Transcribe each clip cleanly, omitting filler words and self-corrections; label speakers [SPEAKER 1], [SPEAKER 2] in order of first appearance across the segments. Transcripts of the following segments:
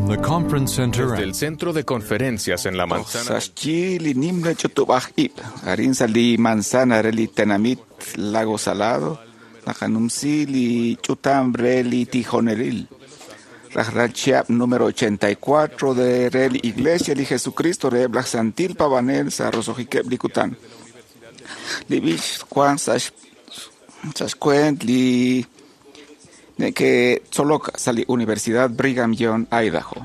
[SPEAKER 1] From the conference center
[SPEAKER 2] Desde el centro de conferencias en la manzana.
[SPEAKER 3] Sa' xyi li nimla ch'utub'aj ib' arin sa' li manzana re li tenamit Lago Salado naqanumsi li ch'utam re li tijonelil. Rajlal chihab' número 84 de re li Iglesia li Jesucristo reheb' laj Santil Pabanel sa' roso'jikeb' li kutan. Li b'ich wan sa' xkuent li neke'tzolok sa' li Universidad Brigham Young, Idaho.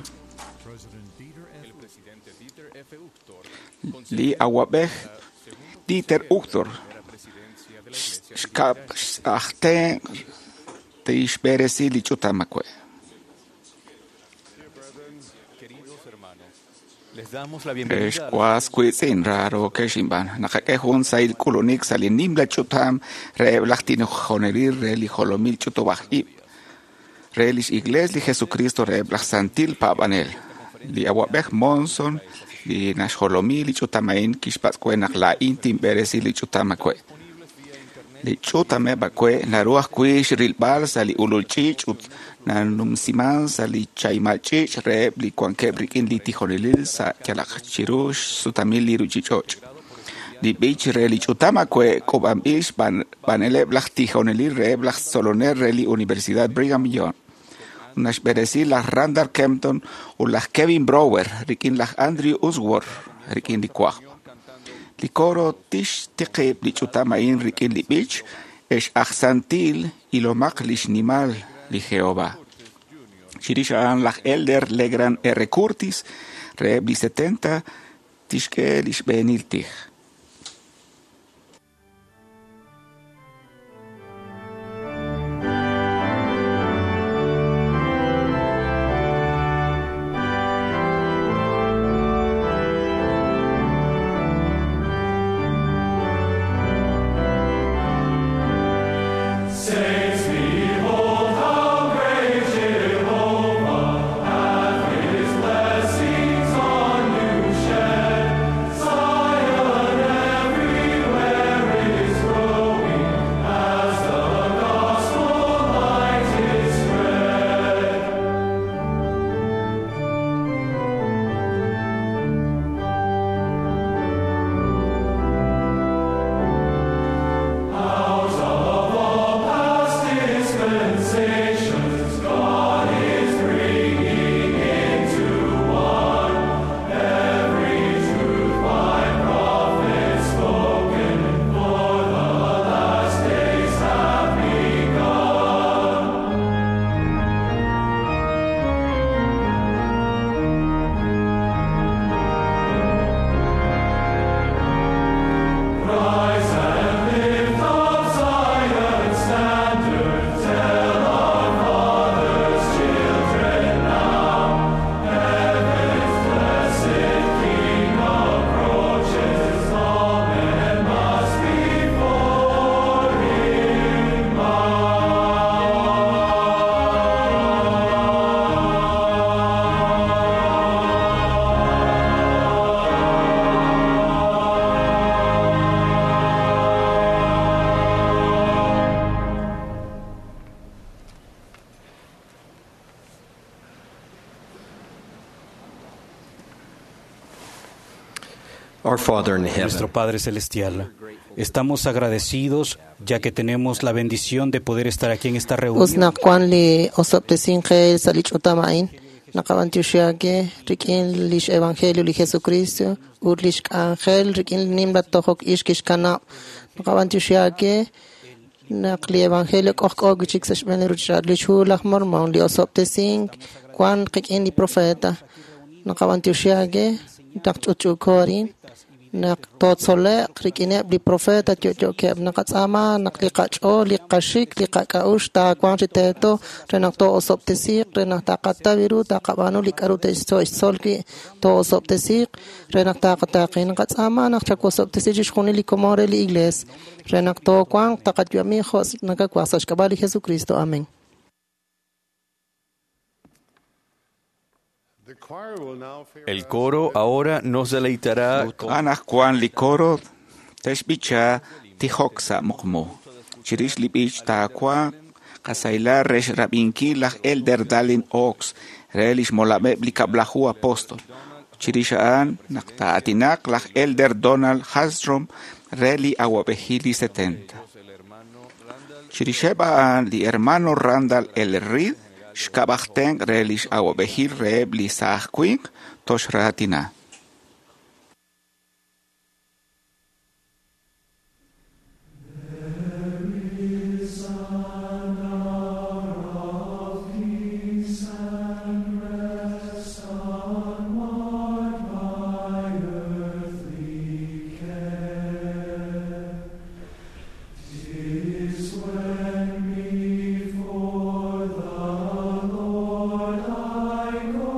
[SPEAKER 3] Li awab'ej Dieter Uchtdorf xkab' aj tenq' tixb'eresi li ch'utam awe'.
[SPEAKER 2] Les damos la bienvenida.
[SPEAKER 3] Ex was wiitz'in raarookex inb'aan naqak'e jun sahil k'ulunik sa' li nimla ch'utam reheb' laj tijonelil re li jolomil ch'utub'aj ib' re lix Iglesia li Jesucristo reheb' laj Santil Paab'anel. Li awab'ej Monson li naxjolomi li ch'utam a'in kixpatz' we naq laa'in tinb'eresi li ch'utam awe'. Li ch'utameb' awe' naru ajwi' xrilb'al sa' li ulul ch'iich' ut nanumsiman sa' li chaymal ch'iich' reheb' li wankeb' rik'in li tijonelil sa' yalaq chiru xsutamil li ruchich'och'. Li b'ich re li ch'utam awe' k'uub'anb'il xb'aaneleb' laj tijonelil reheb' laj tzolonel re li Universidad Brigham Young. Naxb'eresi laj Randall Kempton ut laj Kevin Brower rik'in laj Andrew Usworth rik'in li wajb'. Li coro tixtiqib' li ch'utam a'in rik'in li b'ich ex aj santil ilomaq lix nimal li Jehová. Chirix a'an laj Elder Legrand R. Curtis reheb' li 70 tixk'e li xb'eenil tij.
[SPEAKER 4] Saints, behold how great Jehovah hath his blessings on you shed. Zion everywhere is growing as the gospel light is spread. Out of all past dispensations, God is bringing into one every truth by prophets spoken, for the last days have begun. Rise and lift up Zion's standard, tell our fathers' children now. Heaven's blessed King approaches, all men must before him
[SPEAKER 5] Our Father in
[SPEAKER 6] Nuestro
[SPEAKER 5] heaven,
[SPEAKER 6] Padre Celestial, estamos agradecidos ya que tenemos la bendición de poder estar aquí en esta
[SPEAKER 7] Us
[SPEAKER 6] reunión.
[SPEAKER 7] naq wan li osob'tesin qe sa' li ch'utam a'in naqab'antioxi rik'in lix evangelio li Jesucristo ut lix k'anjel rik'in li nimla tojok ix kixkanab' naqab'antioxi naq li evangelio k'ojk'o wi'chik sa' xb'een li ruchich'och' lix hu laj Mormon li osob'tesink wan qik'in li profeta naqab'antioxi naq ch'utch'uuko arin naq tootzole'q rik'ineb' li profeta yo'yo'keb' naqatz'aama naq li qach'ool li qaxik li qak'a'uxl taawanq chi teeto re naq too'osob'tesiiq re naq taqataw ru taqab'aanu li k'a'ru te'xtzol wi' too'osob'tesiiq re naq taqataaqi naqatz'aama naq chawosob'tesi chixjunil li komon re li iglees re naq toowanq taqayu'ami jo' nakawaj sa' xk'ab'a' li Jesucristo. Amén.
[SPEAKER 2] El coro ahora nos deleitará con
[SPEAKER 3] Anajwan li coro texb'icha tijok sa' muqmu. Chirix li b'ich taawanq Qasahilal re xrab'inkil laj Elder Dallin Oaks re lix molameb' li Kab'laju Apostol. Chirix a'an naq taa'aatinaq laj Elder Donald Hallstrom re li Awa'b'ejil li 70. Chirixeb' a'an li hermano Randall L. Reed xkab' aj tenq' re lix awa'b'ejil reheb' li saaj winq toxraatina.
[SPEAKER 4] Before the Lord I go.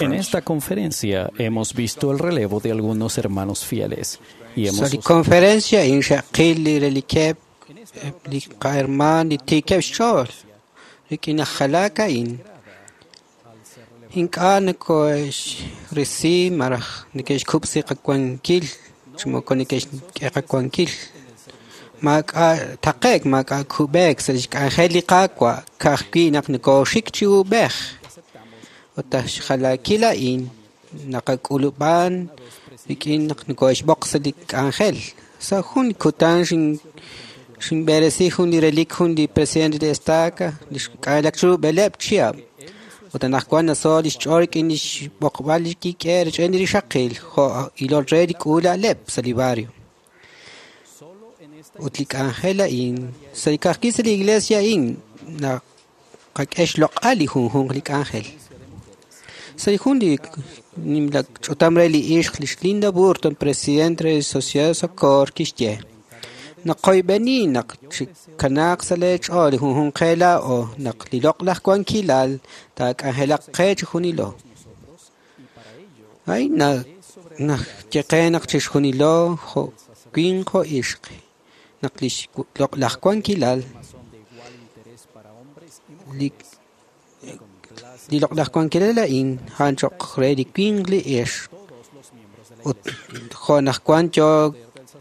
[SPEAKER 1] En esta conferencia hemos visto el relevo de algunos hermanos fieles y hemos
[SPEAKER 5] Sa li conferencia a'in xe'qil li relikeb' li qahermaan li tiikeb' xch'ool rik'in aj jalaak a'in ink'a' nako'xrisi malaj neke'xkub'si qawankil chi moko neke'xk'e qawankil maak'a' taqe'k maak'a' kub'eek sa' lix k'anjel li Qaawa' ka'ajwi' naq nokooxik chi uub'ej ut aj xjalaakil a'in naqak'ulub'an rik'in naq noko'xb'oq sa' li k'anjel sa' jun kutan xinb'eresi jun li relik jun li presidente de estaca li xk'anjelak chiru b'eleeb' chihab' ut anaqwan naso lix ch'ool rik'in lix b'oqb'al li kik'e rech'en li rixaqil jo' ilol re li k'uula'leb' sa' li barrio ut li k'anjel a'in sa' li ka'ajwi' sa' li iglesia a'in naqak'e xloq'al li junjunq li k'anjel sa' li jun li nimla ch'utam re li ixq lix Linda Burton presidente re Sociedad de Socorro kixye naqoyb'eni naq chikanaaq sa' lee ch'ool li junjunq qe laa'o naq li loq'laj wankilal taak'anjelaq qe chi junilo a'in naxye qe naq chixjunilo jo' winq jo' ixq naq lix loq'laj wankilal li loq'laj wankilal a'in a'an cho'q re li winq li ixq ut jo' naq wan yoo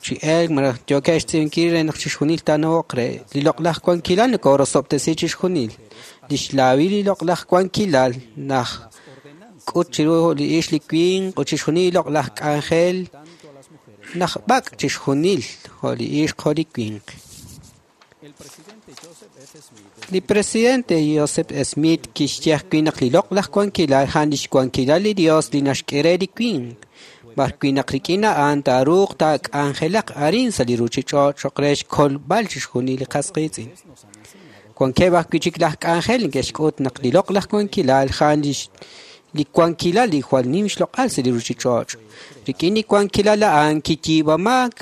[SPEAKER 5] chi elk malaj yookeb' xtz'iib'ankil re naq chixjunil taanawoq re li loq'laj wankilal nokorosob'tesi chixjunil lix laawil li loq'laj wankilal naj k'ut chiru li ixq li winq ut chixjunil li loq'laj k'anjel naj b'ak' chixjunil jo' li ixq jo' li winq. Li presidente Joseph Smith kixye ajwi' naq li loq'laj wankilal a'an lix wankilal li Dios li naxk'e re li winq b'arwi' naq rik'in a'an taaruuq taak'anjelaq arin sa' li ruchich'och' cho'q re xkolb'al chixjunil li qas qiitz'in. Wankeb' ajwi' chik laj k'anjel neke'xk'ut naq li loq'laj wankilal a'an li wankilal li jwal nim xloq'al sa' li ruchich'och'. Rik'in li wankilal a'an kiyiib'aak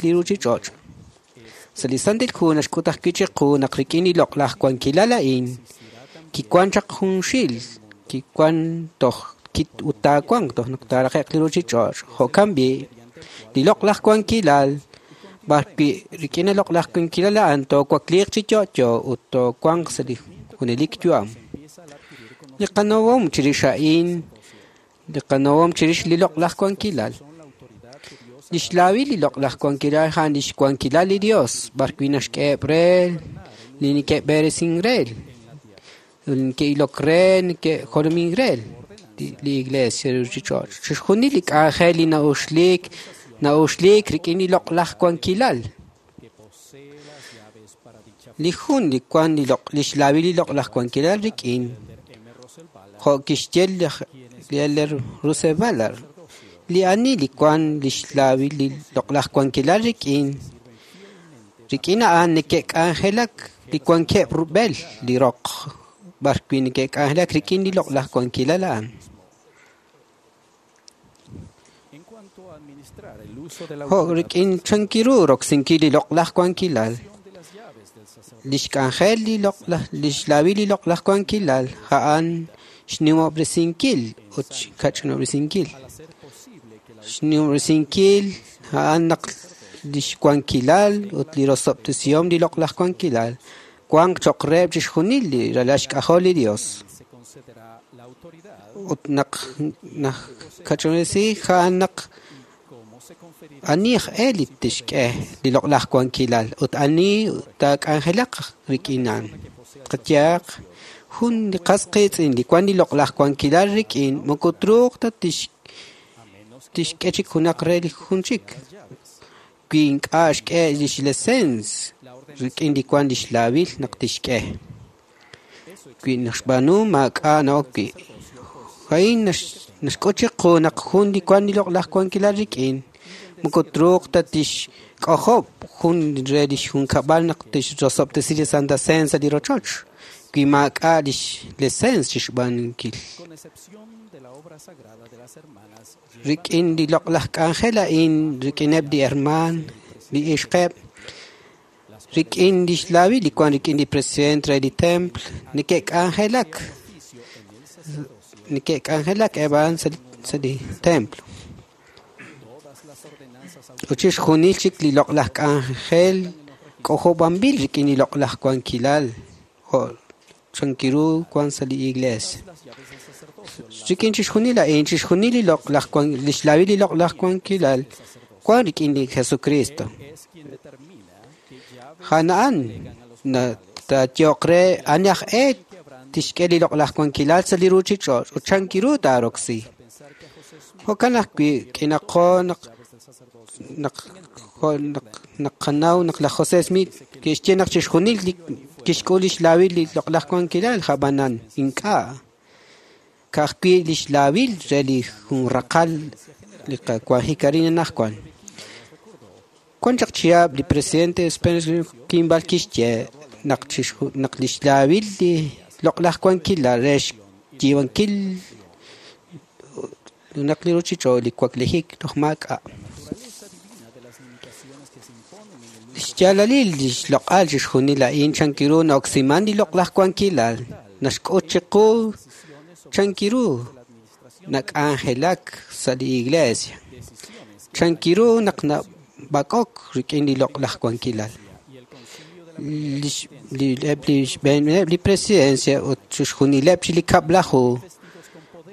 [SPEAKER 5] li ruchich'och'. Sa' li Santil Hu naxk'ut ajwi' chiqu naq rik'in li loq'laj wankilal a'in kiwan chaq junxil kiwan toj ut taawanq toj naq taaraqe'q li ruchich'och' jo'kan b'i' li loq'laj wankilal b'arwi' rik'in li loq'laj wankilal a'an toowakliiq chi yo'yo ut toowanq sa' li junelik yu'am. Li qanawom chirix a'in li qanawom chirix li loq'laj wankilal lix laawil li loq'laj wankilal a'an lix wankilal li Dios b'arwi' naxk'eheb' re li neke'b'eresin re li neke'ilok re neke'jolomin re li iglesia ruchich'och' chixjunil li k'anjel li na'uxlik rik'in li loq'laj wankilal li jun li wan lix laawil li loq'laj wankilal rik'in jo' kixye li Elder Russell Ballard li ani li wan lix laawil li loq'laj wankilal rik'in rik'in a'an neke'k'anjelak li wankeb' rub'el li roq b'arwi' neke'k'anjelak rik'in li loq'laj wankilal a'an. Jo' rik'in chankiru roksinkil li loq'laj wankilal lix k'anjel li loq'laj lix laawil li loq'laj wankilal a'an xnimob'resinkil ut xkach'inob'resinkil xnimob'resinkil a'an naq lix wankilal ut li rosob'tesihom li loq'laj wankilal wanq cho'q reheb' chixjunil li ralal xk'ajol li Dios ut naq kach'inob'resi a'an naq ani aj e li tixk'e li loq'laj wankilal ut ani taak'anjelaq rik'in a'an qayehaq jun li qas qiitz'in li wan li loq'laj wankilal rik'in moko truuq ta tixk'e chik junaq re li jun chik wi ink'a' xk'e lix lesens rik'in li wan lix laawil naq tixk'e wi naxb'aanu maak'a' na'ok wi' a'in naxk'ut chiqu naq jun li wan li loq'laj wankilal rik'in moko truuq ta tixk'ojob' jun re lix junkab'al naq tixrosob'tesi li Santa Cena sa' li rochoch wi maak'a' lix lesens chixb'aanunkil. Rik'in li loq'laj k'anjel a'in rik'ineb' li hermaan li ixqeb' rik'in lix laawil li wan rik'in li presidente re li templo neke'k'anjelak Neke'k'anjelak eb' a'an sa' li templo. Ut chixjunil chik li loq'laj k'anjel k'ojob'anb'il rik'in li loq'laj wankilal jo' chankiru wan sa' li iglesia. Rik'in chixjunil a'in, chixjunil li loq'laj lix laawil li loq'laj wankilal wan rik'in li Jesucristo. A'an taayoq re ani aj e tixk'e li loq'laj wankilal sa' li ruuchich'och' ut chankiru taaroksi. Jo'kan ajwi' k'inaqo naq qanaw naq laj José Smith kixye naq chixjunil li kixk'ul lix laawil li loq'laj wankilal ab'anan ink'a' ka'ajwi' lix laawil re li jun raqal li qawanjik arin anaqwan. Wan chaq chihab' li presidente Spencer Kimball kixye naq lix laawil li loq'laj wankilal re xyiib'ankil naq li ruuchich'och' li waklijik toj maak'a'. Xyaalalil lix loq'al chixjunil a'in chankiru na'oksiman li loq'laj wankilal naxk'ut chiqu chankiru nak'anjelak sa' li iglesia chankiru naq nab'ak'ok rik'in li loq'laj wankilal. Eb' li xb'eeneb' li presidencia ut chixjunileb' chi li kab'laju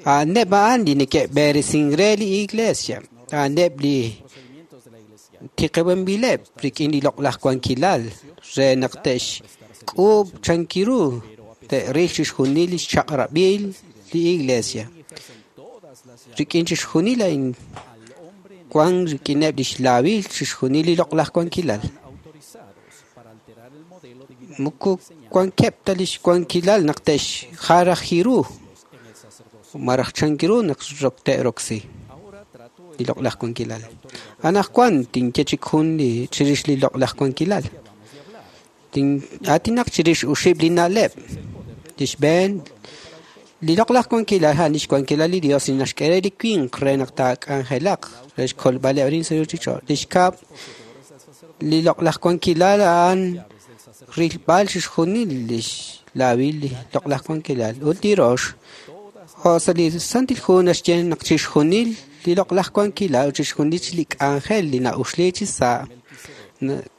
[SPEAKER 5] a'aneb' a'an li neke'b'eresin re li iglesia a'aneb' li tiqib'anb'ileb' rik'in li loq'laj wankilal re naq te'xk'uub' chankiru te'ril chixjunil li xchaq'rab'il li iglesia. Rik'in chixjunil a'in wan rik'ineb' lix laawil chixjunil li loq'laj wankilal. Moko wankeb' ta lix wankilal naq te'xjaraji ru maraj chankiru naq te'roksi li loq'laj wankilal. Anaqwan tinye chik jun li chirix li loq'laj wankilal. Atinaq chirix uxib' li na'leb'. Li xb'een li loq'laj wankilal a'an lix wankilal li Dios li naxk'e re li winq re naq taak'anjelaq re xkolb'aleb' arin sa' ruuchich'och'. Li xkab' li loq'laj wankilal a'an rilb'al chixjunil lix laawil li loq'laj wankilal. Ut li rox jo' sa' li Santil Hu naxye naq chixjunil li loq'laj wankilal ut chixjunil li k'anjel li na'uxli chi sa'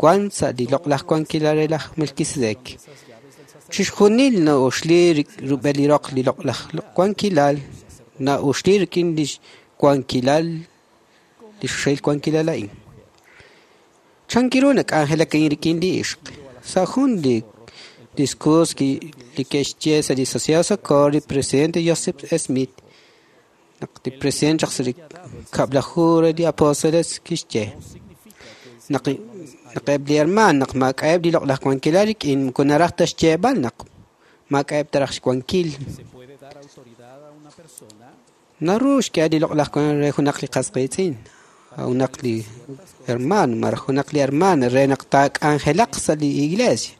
[SPEAKER 5] wan sa' li loq'laj wankilal re laj Melquisedec. Chixjunil na'uxli rub'el li roq li loq'laj wankilal na'uxli rik'in lix wankilal li xxel wankilal a'in. Chankiru nak'anjelak a'in rik'in li ixq. Sa' jun li discurso li ke'xye sa' li Sociedad Socorro li presidente Joseph Smith naq li presidente chaq sa' li kab'laju re li apóstoles kixye naq eb' li hermaan naq maak'a'eb' li loq'laj wankilal rik'in moko naraj ta xyeeb'al naq maak'a'eb' ta raj xwankil. Naru xk'e li loq'laj wankilal re junaq li qas qiitz'in junaq li hermano maraj junaq li hermana re naq taak'anjelaq sa' li iglesia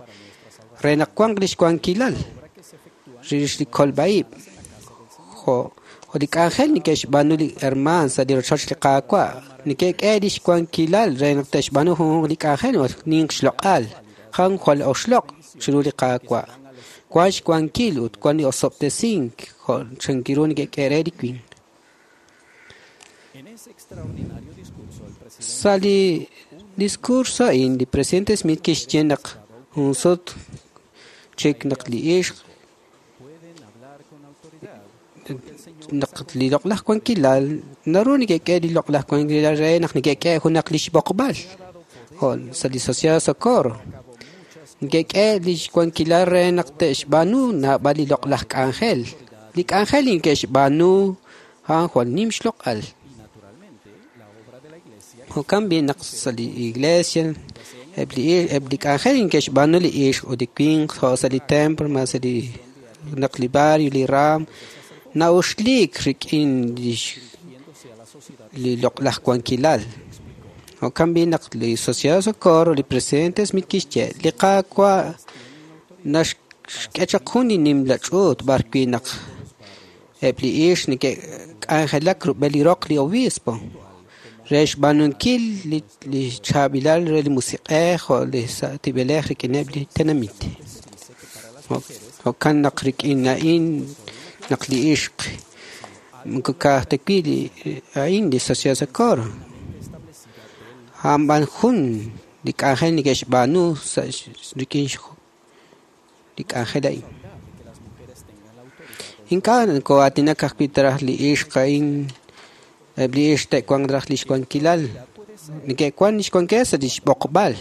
[SPEAKER 5] re naq wanq lix wankilal rix li kolb'a'ib' jo' li k'anjel neke'xb'aanu li hermaan sa' li rochoch li Qaawa' neke'k'e lix wankilal re naq te'xb'aanu junjunq li k'anjel ninq xloq'al jan jwal oxloq' chiru li Qaawa' wan xwankil ut wan li osob'tesink jo' chankiru neke'k'e re li winq. Sa' li discurso a'in li presidente Smith kixye naq jun sut chik naq li ixq naq li loq'laj wankilal naru neke'k'e li loq'laj wankilal re naq neke'k'e junaq lix b'oqb'al jo' sa' li Sociedad Socorro neke'k'e lix wankilal re naq te'xb'aanu naab'al li loq'laj k'anjel. Li k'anjel li neke'xb'aanu a'an jwal nim xloq'al. Jo'kan b'i naq sa' li iglesia eb' li k'anjel neke'xb'aanu li ixq ut li winq jo' sa' li templo ma sa' li naq li barrio li ram na'uxliik rik'in li loq'laj wankilal. Jo'kan b'i naq li Sociedad Socorro li presidente Smith kixye li Qaawa' naxk'e chaq jun li nimla ch'uut b'arwi' naq eb' li ixq neke'k'anjelak rub'el li roq li obispo re xb'aanunkil li chaab'ilal re li musiq'ej jo' li sa'tib'elej rik'ineb' li tenamit. Jo'kan naq rik'in a'in naq li ixq moko ka'aj ta wi' li a'in li Sociedad Socorro a'an b'an jun li k'anjel neke'xb'aanu sa' rik'in li k'anjel a'in. Ink'a' nokoo'aatinak ajwi' taraj li ixq a'in eb' li ixq te'wanq raj li xwankilal neke'wan li xwankilal sa' li xb'oqb'al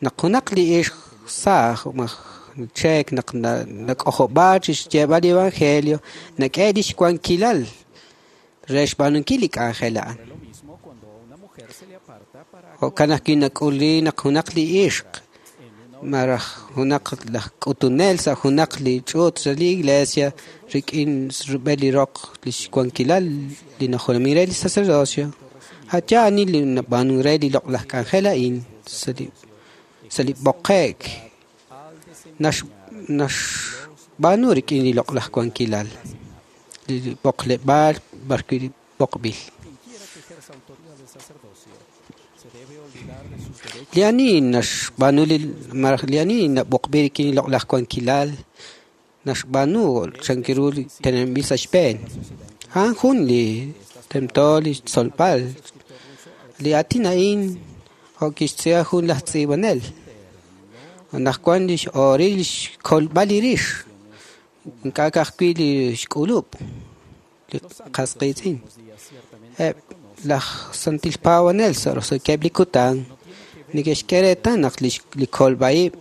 [SPEAKER 5] naq junaq li ixq saaj maj cheek naq nak'ojob'aak chi xyeeb'al li evangelio nak'e li xwankilal re xb'aanunkil li k'anjel a'an. Jo'kan ajwi' nak'uli naq junaq li ixq maraj junaq laj k'utunel sa' junaq li ch'uut sa' li iglesia rik'in rub'el li roq li xwankilal li najolomin re li sacerdocio a' yaal ani li nab'aanun re li loq'laj k'anjel a'in sa' li b'oqe'k naxb'aanu rik'in li loq'laj wankilal li b'oqleb'aal b'arwi' li b'oqb'il. Li ani naxb'aanu li maraj li ani nab'oqb'il rik'in li loq'laj wankilal naxb'aanu chankiru li teneb'il sa' xb'een. A'an jun li tento li tzolb'al li aatin a'in jo' kixtz'iib'a jun laj tz'iib'anel. Anaqwan li x'ooril li xkolb'al li rix ink'a' ka'ajwi' li xk'ulub' li qas qiitz'in. Eb' laj santil paab'anel sa' roso'jikeb' li kutan neke'xk'e reetal naq li kolb'a'ib'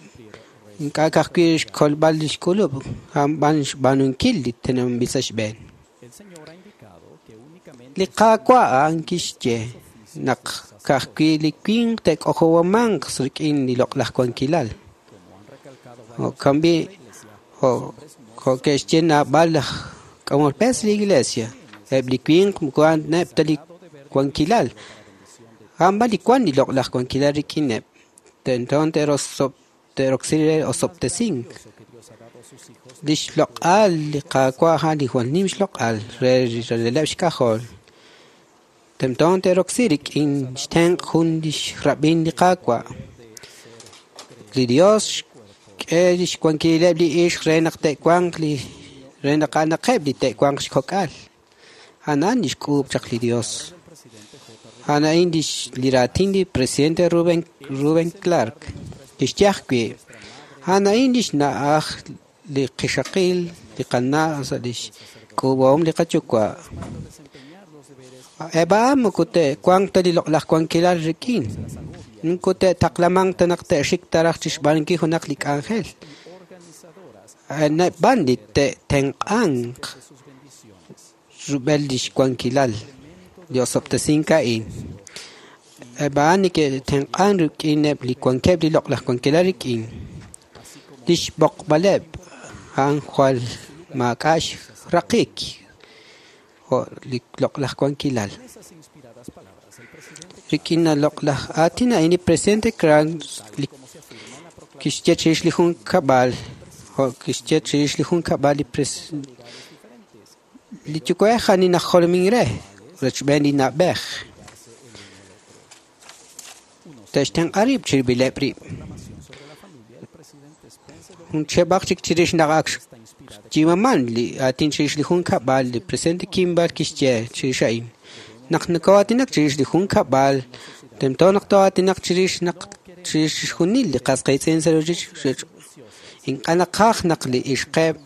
[SPEAKER 5] ink'a' ka'ajwi' xkolb'al li xk'ulub' a'an b'an xb'aanunkil li teneb'anb'il sa' xb'een. Li Qaawa' a'an kixye naq ka'ajwi' li winq te'k'ojowamanq rik'in li loq'laj wankilal. Jo'kan b'i' jo' ke'xye naab'al laj k'amol b'e sa' li iglesia eb' li winq moko a'aneb' ta li wankilal a'an b'an li wan li loq'laj wankilal rik'ineb' tento te'roksi re osob'tesink. Li xloq'al li Qaawa' a'an li jwal nim xloq'al re releb' xk'ajol. Tento te'roksi rik'in xtenq' jun li xrab'in li Qaawa'. Li Dios xk'e li xwankileb' li ixq re naq te'wanq li re naq a'anaqeb' li te'wanq xkok'al. A'an li xk'uub' chaq li Dios. A'an a'in li raatin li presidente Reuben Clark kixye ajwi' a'an a'in li xna'aj li qixaqil li qana' sa' li xk'uub'ahom li qayuwa'. Eb' a'an moko te'wanq ta li loq'laj wankilal rik'in. Moko te'taqlamanq ta naq te'xik taraj chi xb'aanunkil junaq li k'anjel. A'aneb' b'an li te'tenq'anq rub'el li xwankilal li osob'tesink a'in. Eb' a'an neke'tenq'an rik'ineb' li wankeb' li loq'laj wankilal rik'in. Li xb'oqb'aleb' a'an jwal maak'a' xraqik jo' li loq'laj wankilal. Rik'in li loq'laj aatin a'in li presidente Clark kixye chirix li junkab'al jo' kixye chirix li junkab'al li yuwa'ej ani najolomin re rechb'een li na'b'ej. Te'xtenq'a rib' chirib'ileb' rib'. Jun cheb'aq chik chirix naq ak xyimaman li aatin chirix li junkab'al li presidente Kimball kixye chirix a'in. Naq nokoo'aatinak chirix li junkab'al tento naq too'aatinaq chirix naq chirix xjunil li qas qiitz'in sa' ruuchich'och'. Ink'a' naqaj naq li ixqeb'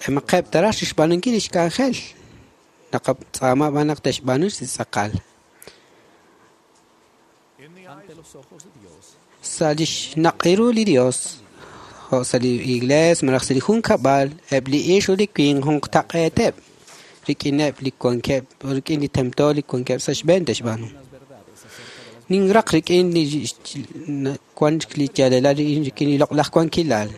[SPEAKER 5] emaqeb' taraj xb'aanunkil li xk'anjel. Naqatz'aama b'an naq te'xb'aanu chi tz'aqal. Sa' li xnaq'iru li Dios jo' sa' li iglees malaj sa' li junkab'al eb' li ixq ut li winq junqtaq'eeteb' rik'ineb' li wankeb' rik'in li tento li wankeb' sa' xb'een te'xb'aanu. Ninraq rik'in li wan li yaalelal rik'in li loq'laj wankilal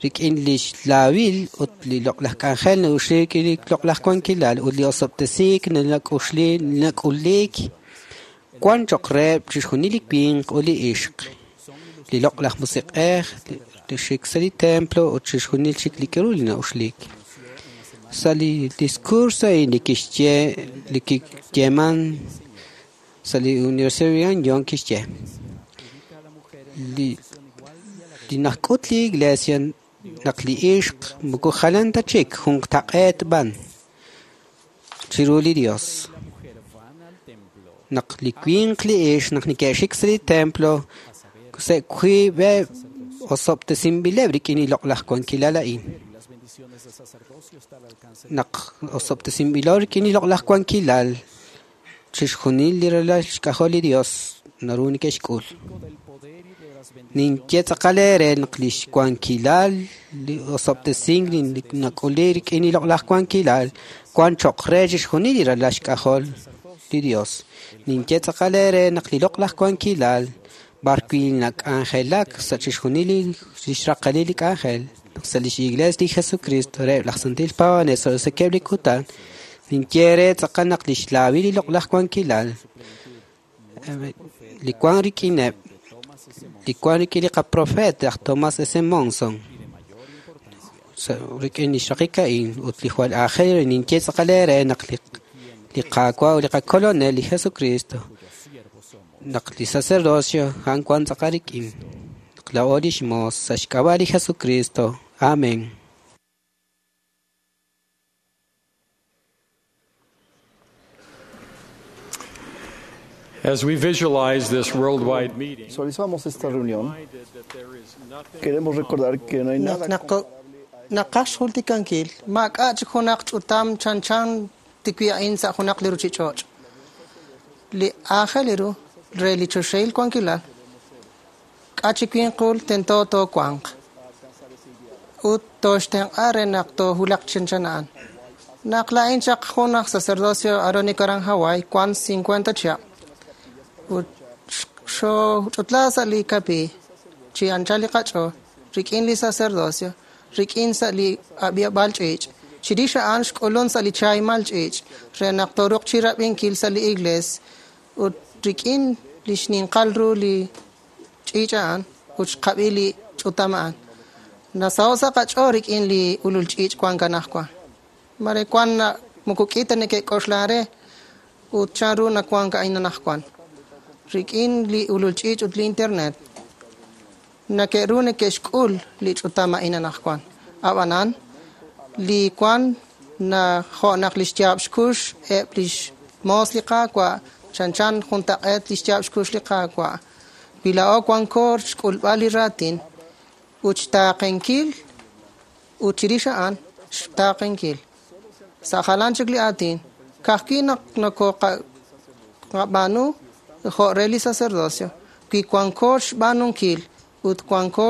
[SPEAKER 5] rik'in li xlaawil ut li loq'laj k'anjel na'uxli rik'in li loq'laj wankilal ut li osob'tesiik nak'uxli nak'uliik wan cho'q reheb' chixjunil li winq ut li ixq. Li loq'laj musiq'ej li xik sa' li templo ut chixjunil chik li k'aru li na'uxliik. Sa' li discurso a'in li kixye li kiyeeman sa' li Universidad de Brigham Young kixye li najk'ut li iglesia Naq li ixq moko jalan ta chik juntaq'eet b'an chiru li Dios. Naq li winq li ixq naq neke'xik sa' li templo sa' wiib'eb' osob'tesinb'ileb' rik'in li loq'laj wankilal a'in. Naq osob'tesinb'ilo rik'in li loq'laj wankilal, chixjunil li ralal xk'ajol li Dios naru neke'xk'ul. Ninye tz'aqal eere naq lix wankilal li osob'tesink li nak'uli rik'in li loq'laj wankilal wan cho'q re chixjunil li ralal xk'ajol li Dios. Ninye tz'aqal eere naq li loq'laj wankilal b'ar wi' nak'anjelak sa' chixjunil li xraqalil li k'anjel sa' lix Iglees li Jesucristo reheb' laj Santil Paab'anel sa' roso'jikeb' li kutan, ninye eere tz'aqal naq lix laawil li loq'laj wankilal li wan rik'ineb' li wan rik'in li qaprofeet aj Thomas S. Monson rik'in li xraqik a'in ut li jwal aajel ru ninye tz'aqal eere naq li Qaawa' ut li qakolonel li Jesucristo naq li sacerdocio a'an wan tz'aqal rik'in naq laa'o lix moos sa' xk'ab'a' li Jesucristo. Amén.
[SPEAKER 8] As we visualize this worldwide meeting,
[SPEAKER 9] Visualizamos esta reunión. Queremos recordar que no hay nada
[SPEAKER 7] Naqaj xjultikankil maak'a' chik junaq ch'utam chanchan tikwi a'in sa' junaq li ruchich'och'. Li aajel ru re li choxahil wankilal k'a' chi winqul tento toowanq ut tooxtenq'a re naq toohulaq chanchan a'an. Naq laa'in chaq jun aj sacerdocio Aarónico aran Hawaii wan 50 chihab' ut xooch'utla sa' li kapi chi anchal li qach'ool rik'in li sacerdocio rik'in sa' li ab'iab'al ch'iich' chirix a'an xk'ulun sa' li chaaymal ch'iich' re naq tooruq chi rab'inkil sa' li iglees ut rik'in li xninqal ru li ch'iich' a'an ut xqab'i li ch'utam a'an. Nasaho' sa' qach'ool rik'in li ulul ch'iich' wan kanajwan. Mare wan moko k'i ta neke'k'oxlan re ut chanru nawank a'in anajwan. Rik'in li ulul ch'iich' ut li internet nake'ru neke'xk'ul li ch'utam a'in anajwan. Ab'anan li wan na jo' naq li xyaab' xkux eb' lix moos li Qaawa' chanchan juntaq'eet li xyaab' xkux li Qaawa'. Wi laa'o wanko xk'ulb'al li raatin ut xtaaqenkil ut chirix a'an xtaaqenkil. Sa' jalan chik li aatin ka'ajwi' naq nokoqab'aanu jo' re li sacerdocio wi wanko xb'aanunkil ut wanko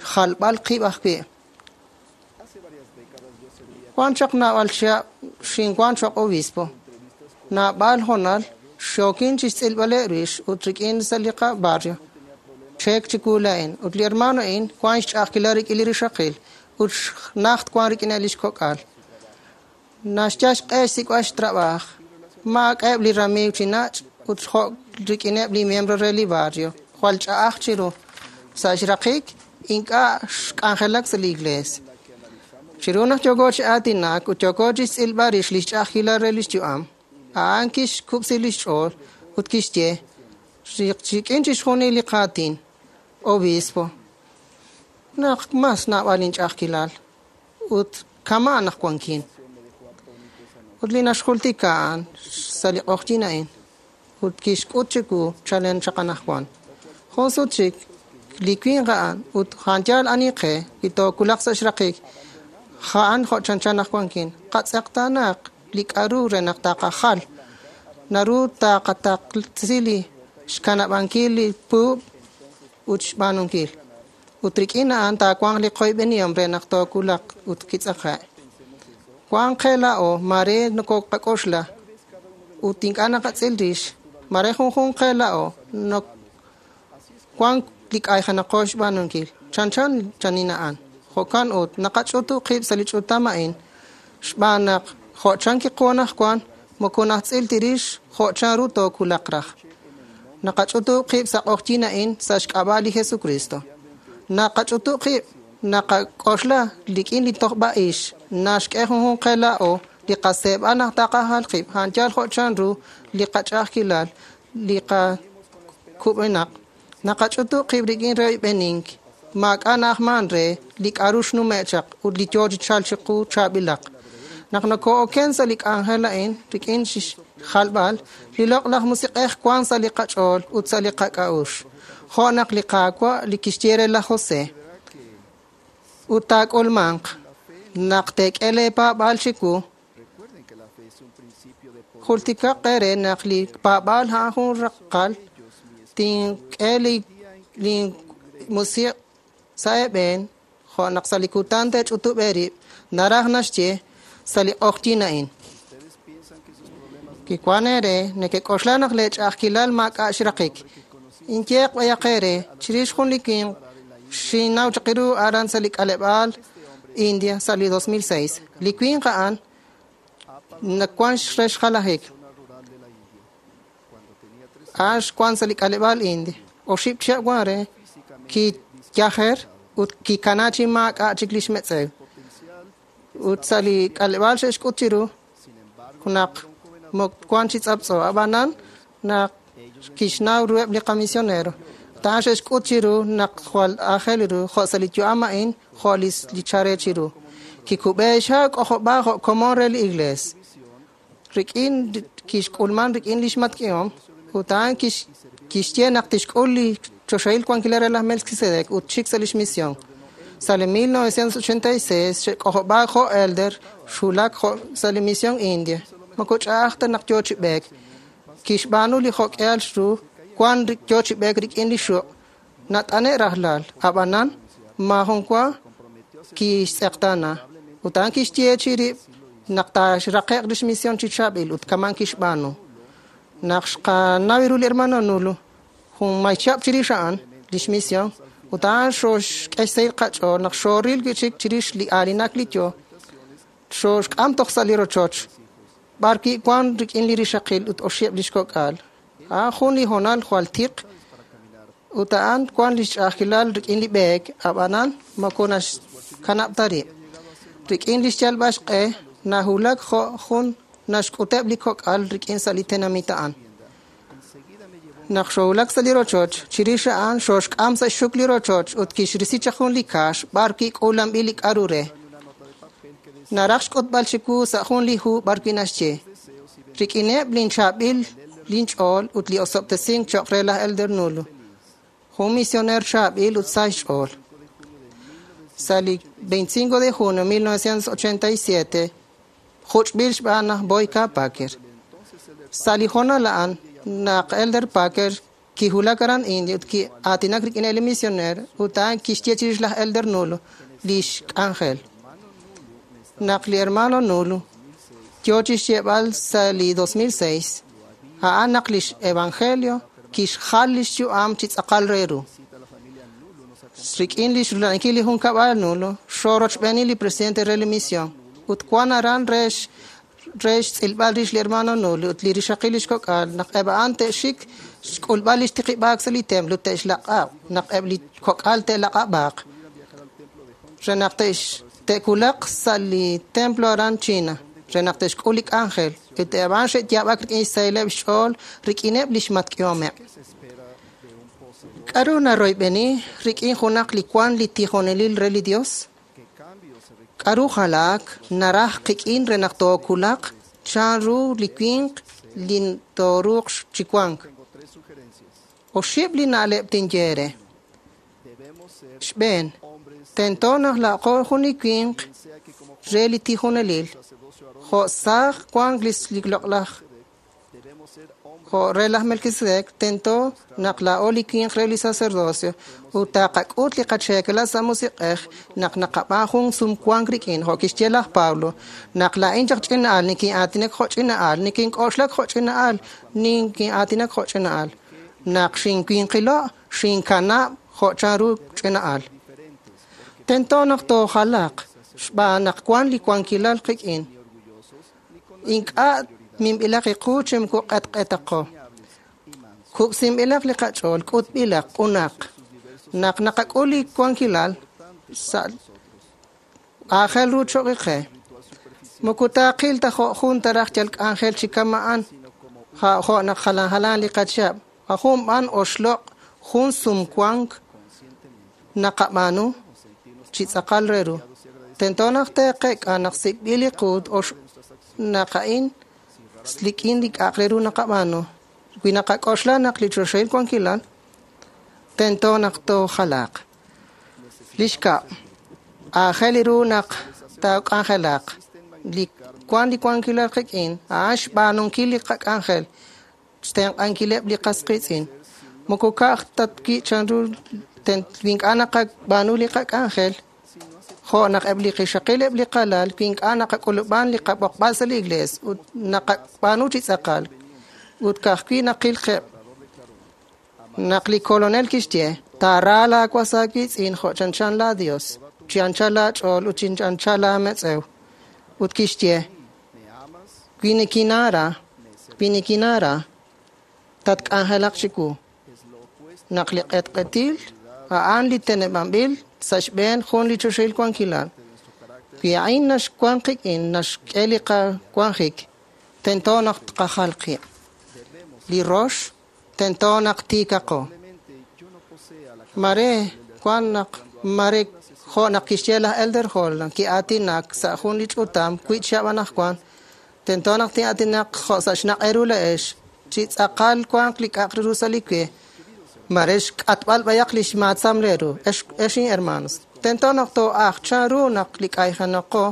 [SPEAKER 7] xjalb'al qib' ajwi'. Wan chaq naab'al chihab' xinwan choq' obispo. Naab'al honal xookin chi xtz'ilb'aleb' rix ut rik'in sa' li qabarrio. Cheek chiwu laa'in ut li hermano a'in wan xch'a'ajkilal rik'in li rixaqil ut najt wan rik'ineb' lix kok'al. Naxyal xq'e xsik'b'al xtrab'aaj. Maak'a'eb' li ramiiw chi nach' ut jo' rik'ineb' li miembro re li barrio. Jwal ch'a'aj chiru. Sa' xraqik ink'a' xk'anjelak sa' li iglees. Chiru naq yooko chi aatinak ut yooko chi xtz'ilb'al rix li xch'a'ajkilal re lix yu'am, a'an kixkub'si lix ch'ool ut kixye rik'in chixjunil li qaatin, obispo, naq mas naab'al inch'a'ajkilal ut kama' naq wankin. Ut li naxjultika a'an sa' li q'oqyin a'in ut kixk'ut chiwu chalen chaq anajwan. Jun sut chik li winq a'an ut a'an ani qe li tookulaq sa' xraqik a'an jo' chanchan naq wankin. Qatz'eqtaanaq li k'a'ru re naq taqajal. Naru taqataqsi li xkanab'ankil li puub' ut xb'aanunkil. Ut rik'in a'an taawanq li qoyb'enihom re naq tookulaq ut kitz'aqe'. Wan qe laa'o mare nokoqak'oxla ut ink'a' naqatz'il rix mare junjunq qe laa'o nok wan li k'ayjenaqo xb'aanunkil chanchan chanin a'an. Jo'kan ut naqach'utu qib' sa' li ch'utam a'in xb'aan naq jo' chan kiqu anajwan moko najtz'il tirix jo' chanru tookulaq raj. Naqach'utu qib' sa' q'oqyin a'in sa' xk'ab'a' li Jesucristo. Naqach'utu qib' naqak'oxla rik'in li tojb'a'ix naxk'e junjunq qe laa'o li qaseeb'al naq taqajal qib' a'an yal jo' chanru li qach'a'ajkilal li qakub'enaq. Naqach'utu qib' rik'in royb'enink Maak'a' na'ajman re li k'a'ru xnume' chaq ut li yoo chi chalk chiqu chaab'ilaq. Naq nokoo'oken sa' li k'anjel a'in rik'in xjalb'al, li loq'laj musiq'ej wan sa' li qach'ool ut sa' li qak'a'uxl. Jo' naq li Qaawa' li kixye re laj José. Ut taak'ulmanq naq teek'e leepaab'aal chiwu. Jultikaq eere naq li paab'aal a'an jun raqal tink'e li musiq' sa' eeb'een jo' naq sa' li kutan teech'utub' eerib' naraj naxye sa' li q'oqyink a'in. Kiwan eere nekek'oxla naq leech'a'ajkilal maak'a' xraqik. Inyeeq b'ayaq eere chirix jun li winq xinnaw chaq ru aran sa' li k'aleb'aal India sa' li 2006. Li winq a'an nawan re xjalajik. A'an xwan sa' li k'aleb'aal India. Oxib' chihab' wan re kiyajer ut kikana chi maak'a' chik lix metz'ew. Ut sa' li k'aleb'aal xe'xk'ut chiru naq wan chi tz'aptz'o. Ab'anan naq kixnaw ruheb' li qamisionero. A'an xe'xk'ut chiru naq jwal aajel ru jo' sa' li yu'am a'in jo' li chare chiru. Kikub'e xha' k'ojob'a jo' komon re li iglees. Rik'in kixk'ulman rik'in lix matk'ihom ut a'an kixye naq tixk'ul li choxahil wankilal re laj Melquisedec ut chik sa' lix misión. Sa' li 1986 xe'k'ojob'a jo' elder xwulak jo' sa' li misión India. Moko ch'a'aj ta naq yoo chi b'eek. Kixb'aanu li jo'k'ehal xru wan yoo chi b'eek rik'in li xuq' nat'ane' rajlal. Ab'anan maajun wa kixtz'eqtaana. Ut a'an kixye chirib' naq taaxraqe'q lix misión chi chaab'il ut kaman kixb'aanu. Naq xqanaw ru li hermano Nulu jun may chihab' chirix a'an lix misión ut a'an xooxk'e xsahil qach'ool naq xooril wi'chik chirix li aalinak li yoo xooxk'am toj sa' li rochoch b'ar wi' wan rik'in li rixaqil ut oxib' lix kok'al. A'an jun li hoonal jwal tiq ut a'an wan lix ch'a'ajkilal rik'in li b'eek ab'anan moko naxkanab' ta rib'. Rik'in lix yalb'al xq'e nahulak jo' jun naxk'uteb' li kok'al rik'in sa' li tenamit a'an. Naq xoowulak sa' li rochoch, chirix a'an xooxk'am sa' xxuk li rochoch ut kixrisi chaq jun li kaax b'ar wi' k'uulanb'il li k'a'ru re. Naraj xk'utb'al chiwu sa' jun li hu b'ar wi' naxye. Rik'ineb' linchaab'il linch'ool ut li osob'tesink cho'q re laj Elder Nulu. Jun misioner chaab'il ut sa xch'ool. Sa' li 25 de junio 1987 juch'b'il xb'aan laj Boyka Packer. Sa' li hoonal a'an naq Elder Packer kihulak aran India ut ki'aatinak rik'in li misioner ut a'an kixye chirix laj Elder Nulu lix k'anjel. Naq li hermano Nulu yoo chixyeeb'al sa' li 2006 a'an naq lix evangelio kixjal lix yu'am chi tz'aqal re ru. Rik'in lix rula'ankil li junkab'al Nulu xoorochb'eeni li presidente re li misión ut wan aran re xtz'ilb'al rix li hermano Nulu ut li rixaqil lix kok'al naq eb' a'an te'xik xk'ulb'al lix tiqib'aak sa' li templo te'xlaq'ab' naq eb' li kok'al te'laq'ab'aaq re naq te'kulaq sa' li templo aran China re naq te'xk'ul li k'anjel ut eb' a'an xe'yaab'ak rik'in xsahileb' xch'ool rik'ineb' lix matk'ihomeb'. K'a'ru naroyb'eni rik'in junaq li wan li tijonelil re li Dios? K'a'ru jalaak naraj qik'in re naq tookulaq chanru li winq li tooruuq chi wank. Oxib' li na'leb' tinye eere. Xb'een, tento naq laa'qo jun li winq re li tijonelil jo' saaj wank li loq'laj jo' re laj Melquisedec, tento naq laa'o li winq re li sacerdocio ut taqak'ut li qacheekala sa' musiq'ej naq naqab'aan jun sumwank rik'in jo' kixye laj Pablo naq laa'in chaq ch'ina'al nikin'aatinak jo' ch'ina'al nikink'oxlak jo' ch'ina'al nikin'aatinak jo' ch'ina'al naq xinwinqilo' xinkanab' jo' chanru ch'ina'al. Tento naq toojalaq xb'aan naq wan li wankilal qik'in. Ink'a' minb'ilaq iqu chi moko q'etq'etaqo. Kub'sinb'ilaq li qach'ool, k'utb'ilaq, q'unaq. Naq naqak'ul li wankilal sa' aajel ru cho'q qe. Moko taaqil ta jo' jun taraj yal k'anjel chi kama'an jo' naq jalan jalan li qachihab'. Jun b'an oxloq' jun sumwank naqab'aanu chi tz'aqal re ru. Tento naq teeqek'a naq sik'b'il li qu naq a'in rik'in li k'a'aq re ru naqab'aanu. Wi naqak'oxla naq li choxahil wankilal, tento naq toojalaaq. Li xkab', aajel ru naq taak'anjelaq. Li wan li wankilal qik'in, a'an xb'aanunkil li qak'anjel, xtenq'ankileb' li qas qiitz'in. Moko ka'aj ta wi' chanru wi ink'a' naqab'aanu li qak'anjel, jo' naq eb' li qixaqil eb' li qalal, wi ink'a' naqak'ulub'an li qab'oqb'al sa' li iglees ut naqab'aanu chi tz'aqal ut ka'ajwi' naqil qib'. Naq li kolonel kixye, taara laawas aawiitz'in jo' chanchan laa Dios, chi anchal laach'ool ut chi anchal laametz'ew. Ut kixye, wi nikinaara, tatk'anjelaq chiwu. Naq li q'etq'etil a'an li teneb'anb'il sa' xb'een jun li choxahil wankilal. Wi a'in naxwan qik'in naxk'e li qawanjik, tento naq tqajal qib'. Li rox, tento naq tiikaqo. Mare wan naq mare jo' naq kixye laj Elder Holland ki'aatinak sa' jun li ch'utam wi' chihab' anaqwan, tento naq tin'aatinaq jo' sa' xnaq' eeru la'ex chi tz'aqal wanq li k'a'aq ru sa' li we. Mare xk'atb'al b'ayaq li xmaatzam leeru, ex hermanos. Tento naq too'aj chanru naq li k'ayjenaqo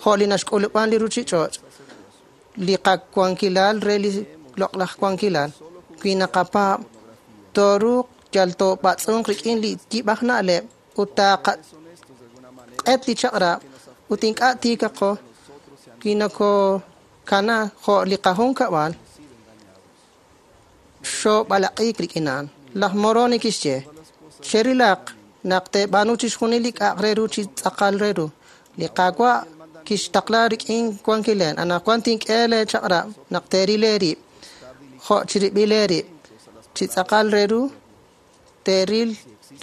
[SPEAKER 7] jo' li naxk'ulub'an li ruchich'och', li qawankilal re li loq'laj wankilal. Wi naqapaab', tooruuq yal toob'atz'unq rik'in li yib'aj na'leb' ut taaqaq'et li chaq'rab' ut ink'a' tiikaqo wi nokokana jo' li qajunkab'al xoob'alaq'iik rik'in a'an. Laj Moroni kixye, cherilaq naq teeb'aanu chixjunil li k'a'aq re ru chi tz'aqal re ru. Li Qaawa' kixtaqla rik'in wankilen. Anaqwan tink'e lee chaq'rab' naq teeril eerib' jo' chirib'il eerib' chi tz'aqal re ru teeril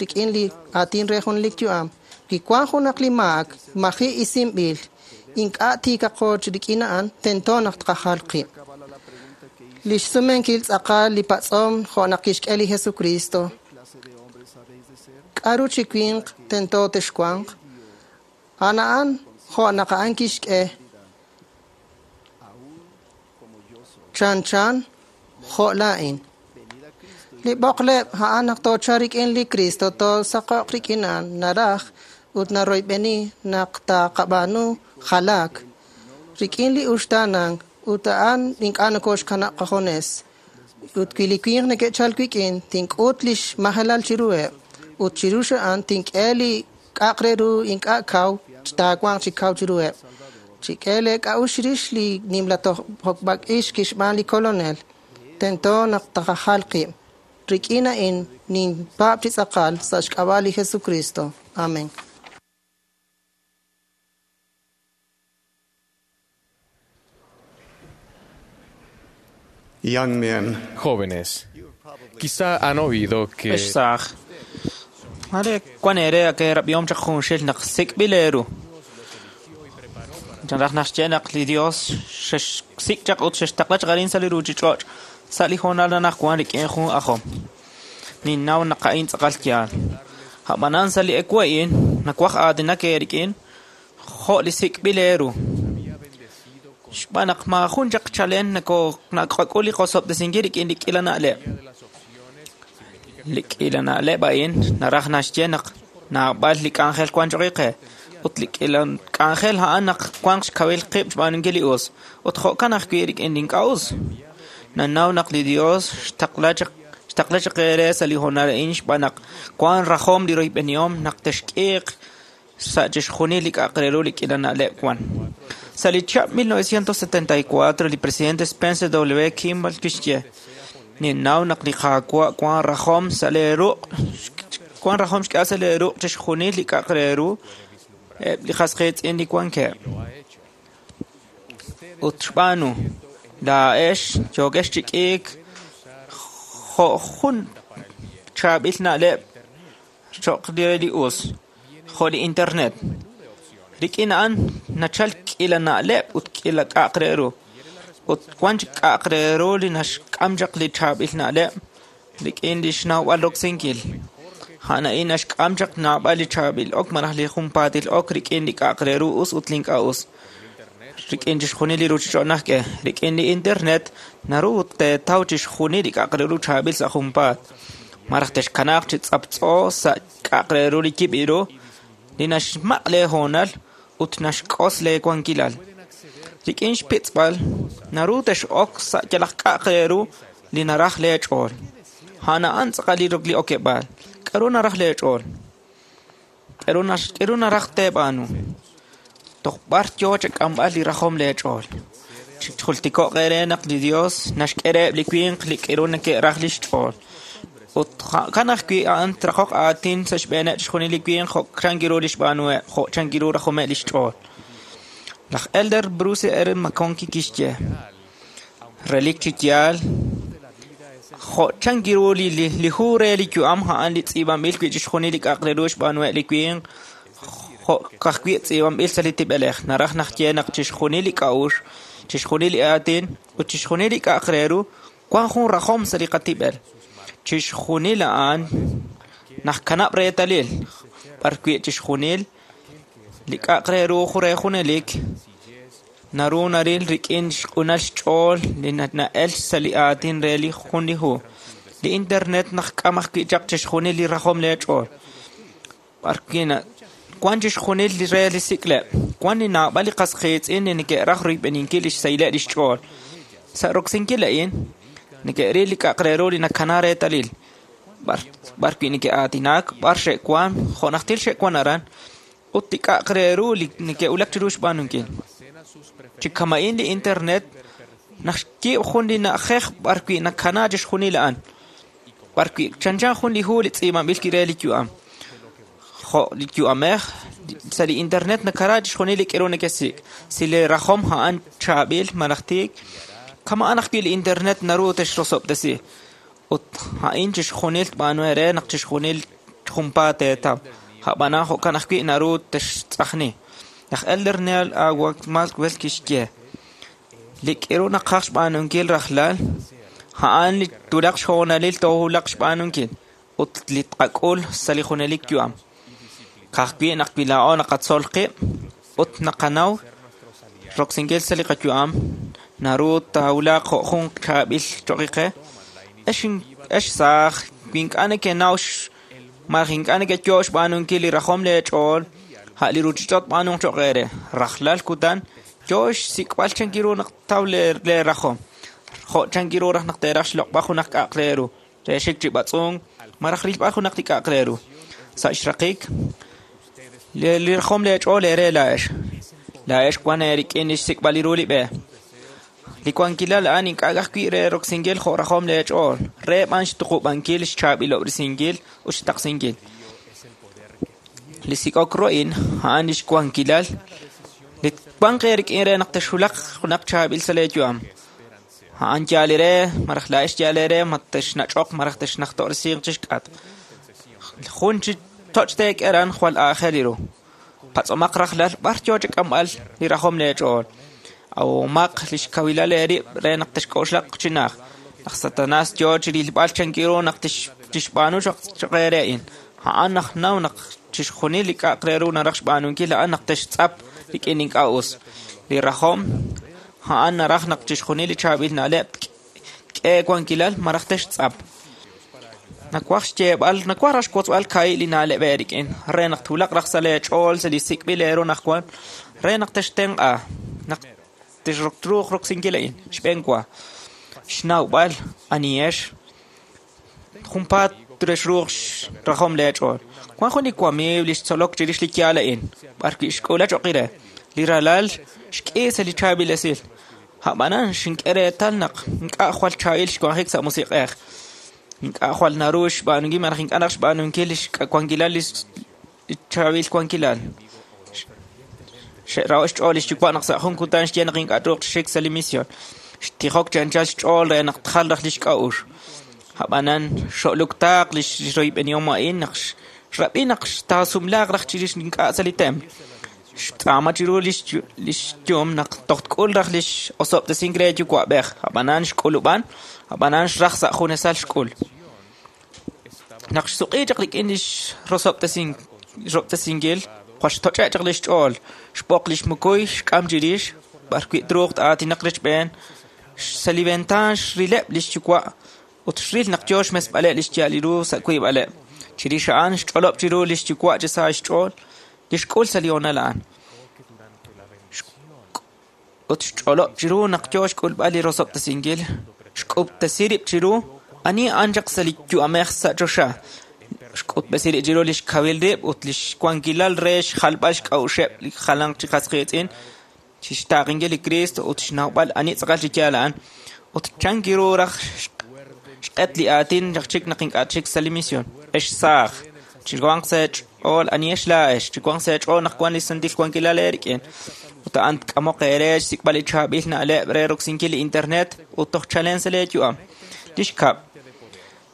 [SPEAKER 7] rik'in li aatin re jun li yu'am. Wi wan junaq li maak maji' isinb'il ink'a' tiikaqo rik'in a'an, tento naq tqajal qib'. Li xsumenkil tz'aqal li patz'om jo' naq kixk'e li Jesucristo. K'aru chi winq tento texwanq? A'an a'an jo' naq a'an kixk'e chanchan jo' laa'in. Li b'oqleb' a'an naq toochal rik'in li Cristo toosaqo'q rik'in a'an naraj ut naroyb'eni naq taqab'aanu jalaak rik'in li uxtaanank ut a'an ink'a' nokoxkanab' qajones. Ut wi li winq neke'chal wik'in tink'ut lix majelal chiruheb' ut chiru a'an tink'e li k'a'aq re ru ink'a' kaw taawanq chi kaw chiruheb'. Chik'e lee k'a'uxl chirix li nimla tojb'ak'ix kixb'aan li kolonel. Tento naq taqajal qib'. Rik'in a'in ninpaab' chi tz'aqal sa' xk'ab'a' li Jesucristo. Amén.
[SPEAKER 10] Young men.
[SPEAKER 11] Jóvenes, quizá han oído que
[SPEAKER 12] Ex saaj, mare wan eere ake rab'ihom chaq junxil naq sik'b'il eeru. Chanraj naxye naq li Dios xexsik' chaq ut xextaqla chaq arin sa' li ruchich'och' sa' li hoonal anaqwan rik'in jun ajom. Ninnaw naq a'in tz'aqal yaal. A'b'anan sa' li ewu a'in nawaj aatinak eerik'in jo' li sik'b'il eeru. Xb'aan naq maajun chaq chalen naqak'ul li qosob'tesinkil rik'in li k'iila na'leb'. Li k'iila na'leb' a'in naraj naxye naq naab'al li k'anjel wan choq' qe ut li k'iila k'anjel a'an naq wanq xkawil qib' xb'aanunkil li us ut jo'kan ajwi' rik'in li ink'a' us. Nanaw naq li Dios xtaqla chaq eere sa' li hoonal a'in xb'aan naq wan rajom li royb'enihom naq texk'iiq sa' chixjunil li k'a'aq re ru li k'iila na'leb' wan. Sa' li chihab' 1974, li presidente Spencer W. Kimball kixye, ninnaw naq li Qaawa' wan rajom sa' lee ruq', wan rajom xk'eeb'al sa' lee ruq' chixjunil li k'a'aq re ru eb' li qas qiitz'in li wankeb'. Ut xb'aanu, laa'ex yookex chi k'iik jo' jun chaab'il na'leb' cho'q re li us, jo' li internet. Rik'in a'an nachal k'iila na'leb' ut k'iila k'a'aq re ru. Ut wan chik k'a'aq re ru li naxk'am chaq li chaab'il na'leb' rik'in li xnawb'al roksinkil. A'an a'in naxk'am chaq naab'al li chaab'il ok malaj li junpaatil ok rik'in li k'a'aq re ru us ut li ink'a' us. Rik'in chixjunil li ruuchich'och' najk'e, rik'in li internet naru teetaw chixjunil li k'a'aq re ru chaab'il sa' junpaat. Malaj texkanaaq chi tz'aptz'o sa' k'a'aq re ru li yib' ru, li naxmaq' lee hoonal ut naxk'os lee wankilal. Rik'in xpitz'b'al naru tex'ok sa' yalaq k'a'aq re ru li naraj lee ch'ool. A'an a'an tz'aqal li okeb'aal. K'aru naraj lee ch'ool? K'aru naraj teeb'aanu? Toj b'ar yo chak'amb'al li rajom lee ch'ool. Chijultiko'q eere naq li Dios naxk'e reheb' li winq li k'aru neke'raj lix ch'ool. Ut jo'kan ajwi' a'an traqoq aatin sa' xb'eeneb' chixjunil li winq jo' chankiru li xb'aanuheb', jo' chankiru rajomeb' lix ch'ool. Laj Elder Bruce R. McConkie kixye, relik chi yaal, jo' chankiru li hu re li yu'am a'an li tz'iib'anb'il wi' chixjunil li k'a'aq re ru xb'aanuheb' li winq, jo' ka'ajwi' tz'iib'anb'il sa' li tib'elej. Naraj naxye naq chixjunil li k'a'uxl, chixjunil li aatin ut chixjunil li k'a'aq re ru wan jun rajom sa' li qatib'el. Chixjunil a'an najkanab' reetalil b'ar wi' chixjunil li k'a'aq re ru re junelik naru naril rik'in xq'unal xch'ool li na'el sa' li aatin re li jun li hu. Li internet najk'am ajwi' chaq chixjunil li rajom lee ch'ool. B'ar wi' wan chixjunil li re li sik'leb', wan li naab'al li qas qiitz'in li neke'raj royb'eninkil lix sahileb' lix ch'ool. Sa' roksinkil a'in, neke'ril li k'a'aq re ru li nakana reetalil. B'ar wi' neke'aatinak, b'ar xe'wan, jo' najtil xe'wan aran, ut li k'a'aq re ru li neke'wulak chiru xb'aanunkil. Chi kama'in li internet naxyiib' jun li na'ajej b'ar wi' nakana chixjunil a'an. B'ar wi' chanchan jun li hu li tz'iib'anb'il re li yu'am. Jo' li yu'amej sa' li internet nakara chixjunil li k'aru nekesik'. Si li rajom a'an chaab'il malaj tiik, kama'an ajwi' li internet naru texrosob'tesi. Ut a'in chixjunil tb'aanu eere naq chixjunil junpaat teetaw. A'b'anan jo'kan ajwi' naru textz'ajni. Laj Elder Neal A. Maxwell kixye, li k'aru naqaj xb'aanunkil rajlal, a'an li twulaq xhoonalil toowulaq xb'aanunkil ut li tqak'ul sa' li junelik yu'am. Ka'ajwi' naq wi laa'o naqatzol qib' ut naqanaw roksinkil sa' li qayu'am, naru taawulaq jo' jun chaab'il choqi qe. Ex saaj, wi ink'a' nekenaw malaj ink'a' nekeyo' xb'aanunkil li rajom lee ch'ool, a' li ruuchich'och' tb'aanunq cho'q eere. Rajlal kutan yo xsik'b'al chankiru naq taw lee rajom. Jo' chankiru raj naq teeraj xloq'b'al junaq k'a'aq re ru, re xik chi b'atz'unk malaj rilb'al junaq li k'a'aq re ru. Sa' xraqik, li rajom lee ch'ool eere laa'ex. Laa'ex wan eerik'in li xsik'b'al ru li b'e. Li wankilal a'an ink'a' ajwi' re roksinkil jo' rajom lee ch'ool, re b'an xtuqub'ankil, xchaab'ilob'resinkil ut xtaqsinkil. Li sik'ok ru a'in a'an li xwankilal li wanq eerik'in re naq texwulaq junaq chaab'il sa' lee yu'am. A'an yaal eere malaj laa'ex yaal eere ma texnach'oq malaj texnajto'resiiq chixk'atq. Jun chi toch' teek'e aran jwal aajel ru. Patz'omaq rajlal b'ar yo chak'amb'al li rajom lee ch'ool. Awomaq li xkawilal eerib' re naq texk'oxlaq chi naj. Laj Satanas yo chi rilb'al chankiru naq tixb'aanu cho'q eere a'in. A'an najnaw naq chixjunil li k'a'aq re ru naraj xb'aanunkil a'an naq textz'ap rik'in ink'a' us. Li rajom a'an naraj naq chixjunil li chaab'il na'leb' tk'e wankilal malaj textz'ap. Nawaj xyeeb'al, nawaj raj xwotzb'al kahi' li na'leb' eerik'in re naq twulaq raj sa' lee ch'ool sa' li sik'b'il eeru najwan re naq textenq'a naq texruuq roksinkil a'in. Xb'een wa, xnawb'al anihex junpaat texruuq rajom lee ch'ool. Wan jun li wamiiw li xtzolok chirix li yaal a'in, b'ar wi' xk'ula cho'q re. Li ralal xk'i sa' li chaab'il esil. A'b'anan xink'e reetal naq ink'a' jwal chaab'il xwanjik sa' musiq'ej. Ink'a' jwal naru xb'aanunkil malaj ink'a' naq xb'aanunkil li xwankilal li chaab'il wankilal. Xe'raho' xch'ool li xyuwa' naq sa' jun kutan xye naq ink'a' truuq xik sa' li misión. Xtijok chi anchal xch'ool re naq tjal raj li xk'a'uxl. A'b'anan xo'luktaaq li xroyb'enihom a'in naq xrab'i naq taasumlaaq raj chirix ink'a' sa' li templo. Xtz'aama chiru li xyum naq toj tk'ul raj li x'osob'tesink re yuwa'b'ej. A'b'anan xk'ulub'an, a'b'anan xraj sa' junesal xk'ul. Naq xsuq'i chaq rik'in lix rosob'tesinkil, jwal xtoch'e' chaq lix ch'ool, xb'oq lix mukuy, xk'am chirix, b'arwi' truuq aatinaq rechb'een, sa' li ventaan xrileb' lix yuwa' ut xril naq yoo xmesb'aleb' lix ya'al ru sa' wiib'aleb'. Chirix a'an xch'olob' chiru lix yuwa' chi sa xch'ool, li xk'ul sa' li hoonal a'an. Ut xch'olob' chiru naq yoo xk'ulb'al li rosob'tesinkil, xk'ub'tesi rib' chiru ani a'an chaq sa' li yu'amej sa' choxa. Xk'utb'esi rib' chiru lix kawil rib' ut lix wankilal re xjalb'al xk'a'uxeb' li jalanq chi qas qiitz'in, chixtaaqenkil li Cristo ut xnawb'al ani tz'aqal chi yaal a'an. Ut chan kiru raj xq'et li aatin raj chik naq ink'a' chik sa' li misión. Ex saaj, chiwanq sa' eech'ool ani ex laa'ex, chiwanq sa' eech'ool naq wan li santil wankilal eerik'in. Ut a'an tk'amoq eere xsik'b'al li chaab'il na'leb' re roksinkil li internet ut toj chalen sa' leeyu'am. Li xkab',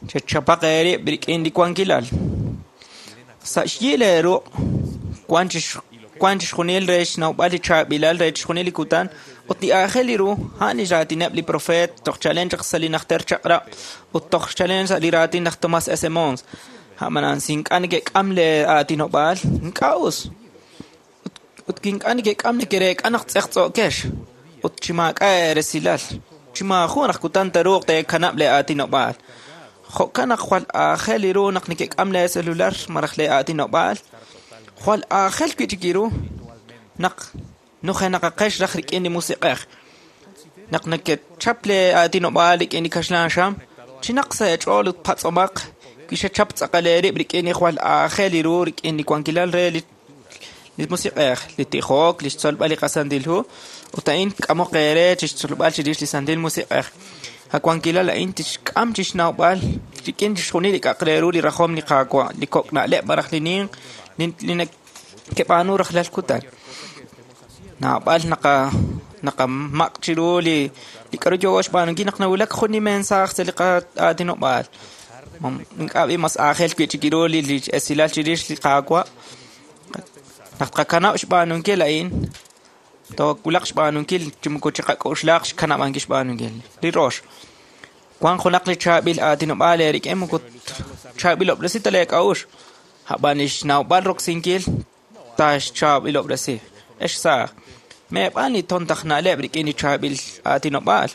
[SPEAKER 12] chechapaq eerib' rik'in li wankilal. Sa' xyi leeruq' wan chixjunil re xnawb'al li chaab'ilal re chixjunil li kutan ut li aajel li ru a'an li raatineb' li profeet toj chalen chaq sa' li najter chaq'rab' ut toj chalen sa' li raatin laj Thomas S. Mons. A'manan si ink'a' neke'k'am lee aatinob'aal, ink'a' us. Ut ink'a' neke'k'am neke'reek'a naq tz'eqtz'o'kex ut chi maak'a' eeresilal, chi maajun raj kutan taruuq teekanab' lee aatinob'aal. Jo'kan naq jwal aajel li ru naq neke'k'am lee celular malaj lee aatinob'aal, jwal aajel wi'chik ru naq nujenaqaqex raj rik'in li musiq'ej. Naq nekechap lee aatinob'aal rik'in li kaxlan xam, chinaq sa' eech'ool ut patz'omaq wi xechap tz'aqal eerib' rik'in li jwal aajel li ru rik'in li wankilal re li musiq'ej, li tijok, li xtzolb'al li qasantil hu, ut a'in tk'amoq eere chixtzolb'al chirix li santil musiq'ej. A wankilal a'in tixk'am chixnawb'al rik'in chixjunil li k'a'aq re ru li rajom li Qaawa', li kok' na'leb' malaj li ninq li nekeb'aanu rajlal kutan. Naab'al naqamaq' chiru li k'aru yoo xb'aanunkil naq nawulak jun li mensaaj sa' li qaatinob'aal. Ink'a' b'i mas aajel wi'chik ru li esilal chirix li Qaawa'. Naq tqakanab' xb'aanunkil a'in, toowulaq xb'aanunkil chi moko chiqak'oxlaq xkanab'ankil xb'aanunkil. Li rox, wan junaq li chaab'il aatinob'aal eerik'in moko chaab'ilob'resi ta leek'a'uxl, a'b'an li xnawb'al roksinkil taaxchaab'ilob'resi. Ex saaj, meeb'aan li tontaj na'leb' rik'in li chaab'il aatinob'aal.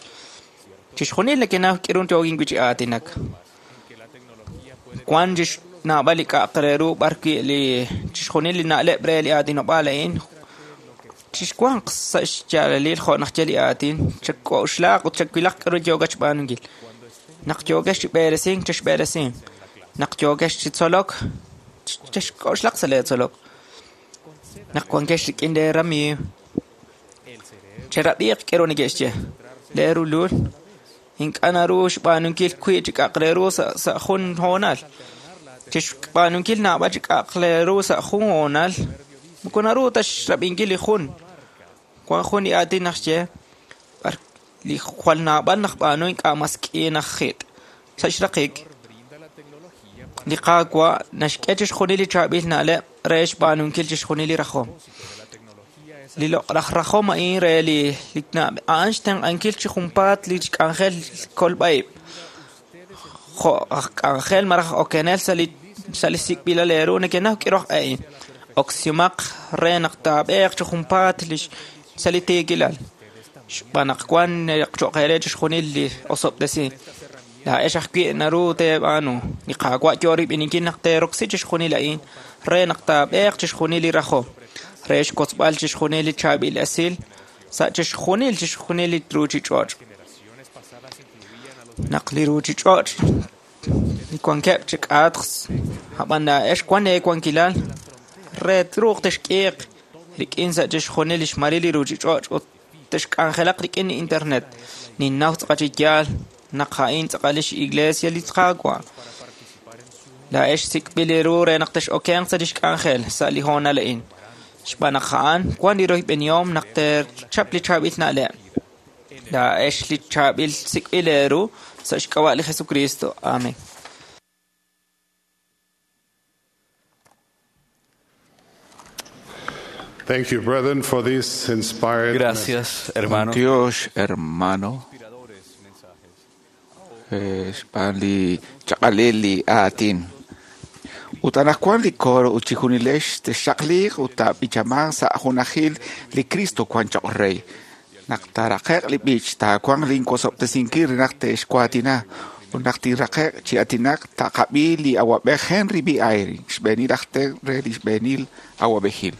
[SPEAKER 12] Chixjunil nekenaw k'irun yookin wi' chi aatinak. Wan naab'al li k'a'aq re ru b'arwi' li chixjunil li na'leb' re li aatinob'aal a'in chixwanq sa' xyaalalil jo' naq ye li aatin, chak'oxlaq ut chakwilaq k'aru yookat xb'aanunkil. Naq yookex chi b'eresink, chexb'eresink. Naq yookex chi tzolok, chexk'oxlaq sa' leetzolok. Naq wankex rik'in leeramiiw, cherab'iiq k'aru neke'xye. Leerulul ink'a' naru xb'aanunkil wi' chi k'a'aq re ru sa' jun hoonal. Chixb'aanunkil naab'al chi k'a'aq re ru sa' jun hoonal, moko naru ta xrab'inkil li jun. Wan jun li aatin naq xye, li jwal naab'al naq b'aanu ink'a' mas k'i naq jit'. Sa' xraqik, li Qaawa' naxk'e chixjunil li chaab'il na'leb' re xb'aanunkil chixjunil li rajom. Li loq'laj rajom a'in re li a'an xtenq'ankil chi junpaat li k'anjel kolb'a'ib'. Jo' aj k'anjel malaj okenel sa' li sik'b'ilal eeru nekenaw k'iroj a'in. Oksimaq re naq taab'eeq chi junpaat sa' li tiikilal. Xb'aan naq wan cho'q eere chixjunil li osob'tesi. Laa'ex ajwi' naru teeb'aanu. Li Qaawa' yoo rib'ininkil naq teeroksi chixjunil a'in re naq taab'eeq chixjunil li rajom, re xkotzb'al chixjunil li chaab'il esil sa' chixjunil li ruuchich'och'. Naq li ruuchich'och' li wankeb' chi k'atq, ab'an laa'ex wan eewankilal re truuq texk'iiq rik'in sa' chixjunil li xmaril li ruuchich'och' ut texk'anjelaq rik'in li internet. Ninnaw tz'aqal chi yaal naq a'in tz'aqal lix iglesia li Qaawa'. Laa'ex sik'b'il ru re naq tex'okenq sa' lix k'anjel sa' li hoonal a'in. Xb'aan naq a'an wan li royb'enihom naq teechap li chaab'il na'leb'. Laa'ex li chaab'il sik'b'il eeru sa' xk'ab'a' li Jesucristo. Amén.
[SPEAKER 10] Thank you, brethren, for this inspired
[SPEAKER 2] Gracias, hermano.
[SPEAKER 3] Dios, hermano. Xb'aan li chaq'alil li aatin. Ut anaqwan li coro ut chijunilex texxaqliiq ut taab'ichamanq sa' junajil li Cristo wan choq' rey. Naq taaraqe'q li b'ich, taawanq linwosob'tesinkil re naq te'xwaatina. Ut naq tinraqe'q chi aatinak, taqab'i li awab'ej Henry B. Eyring, xb'eenil aj tenq' re li xb'eenil awab'ejil.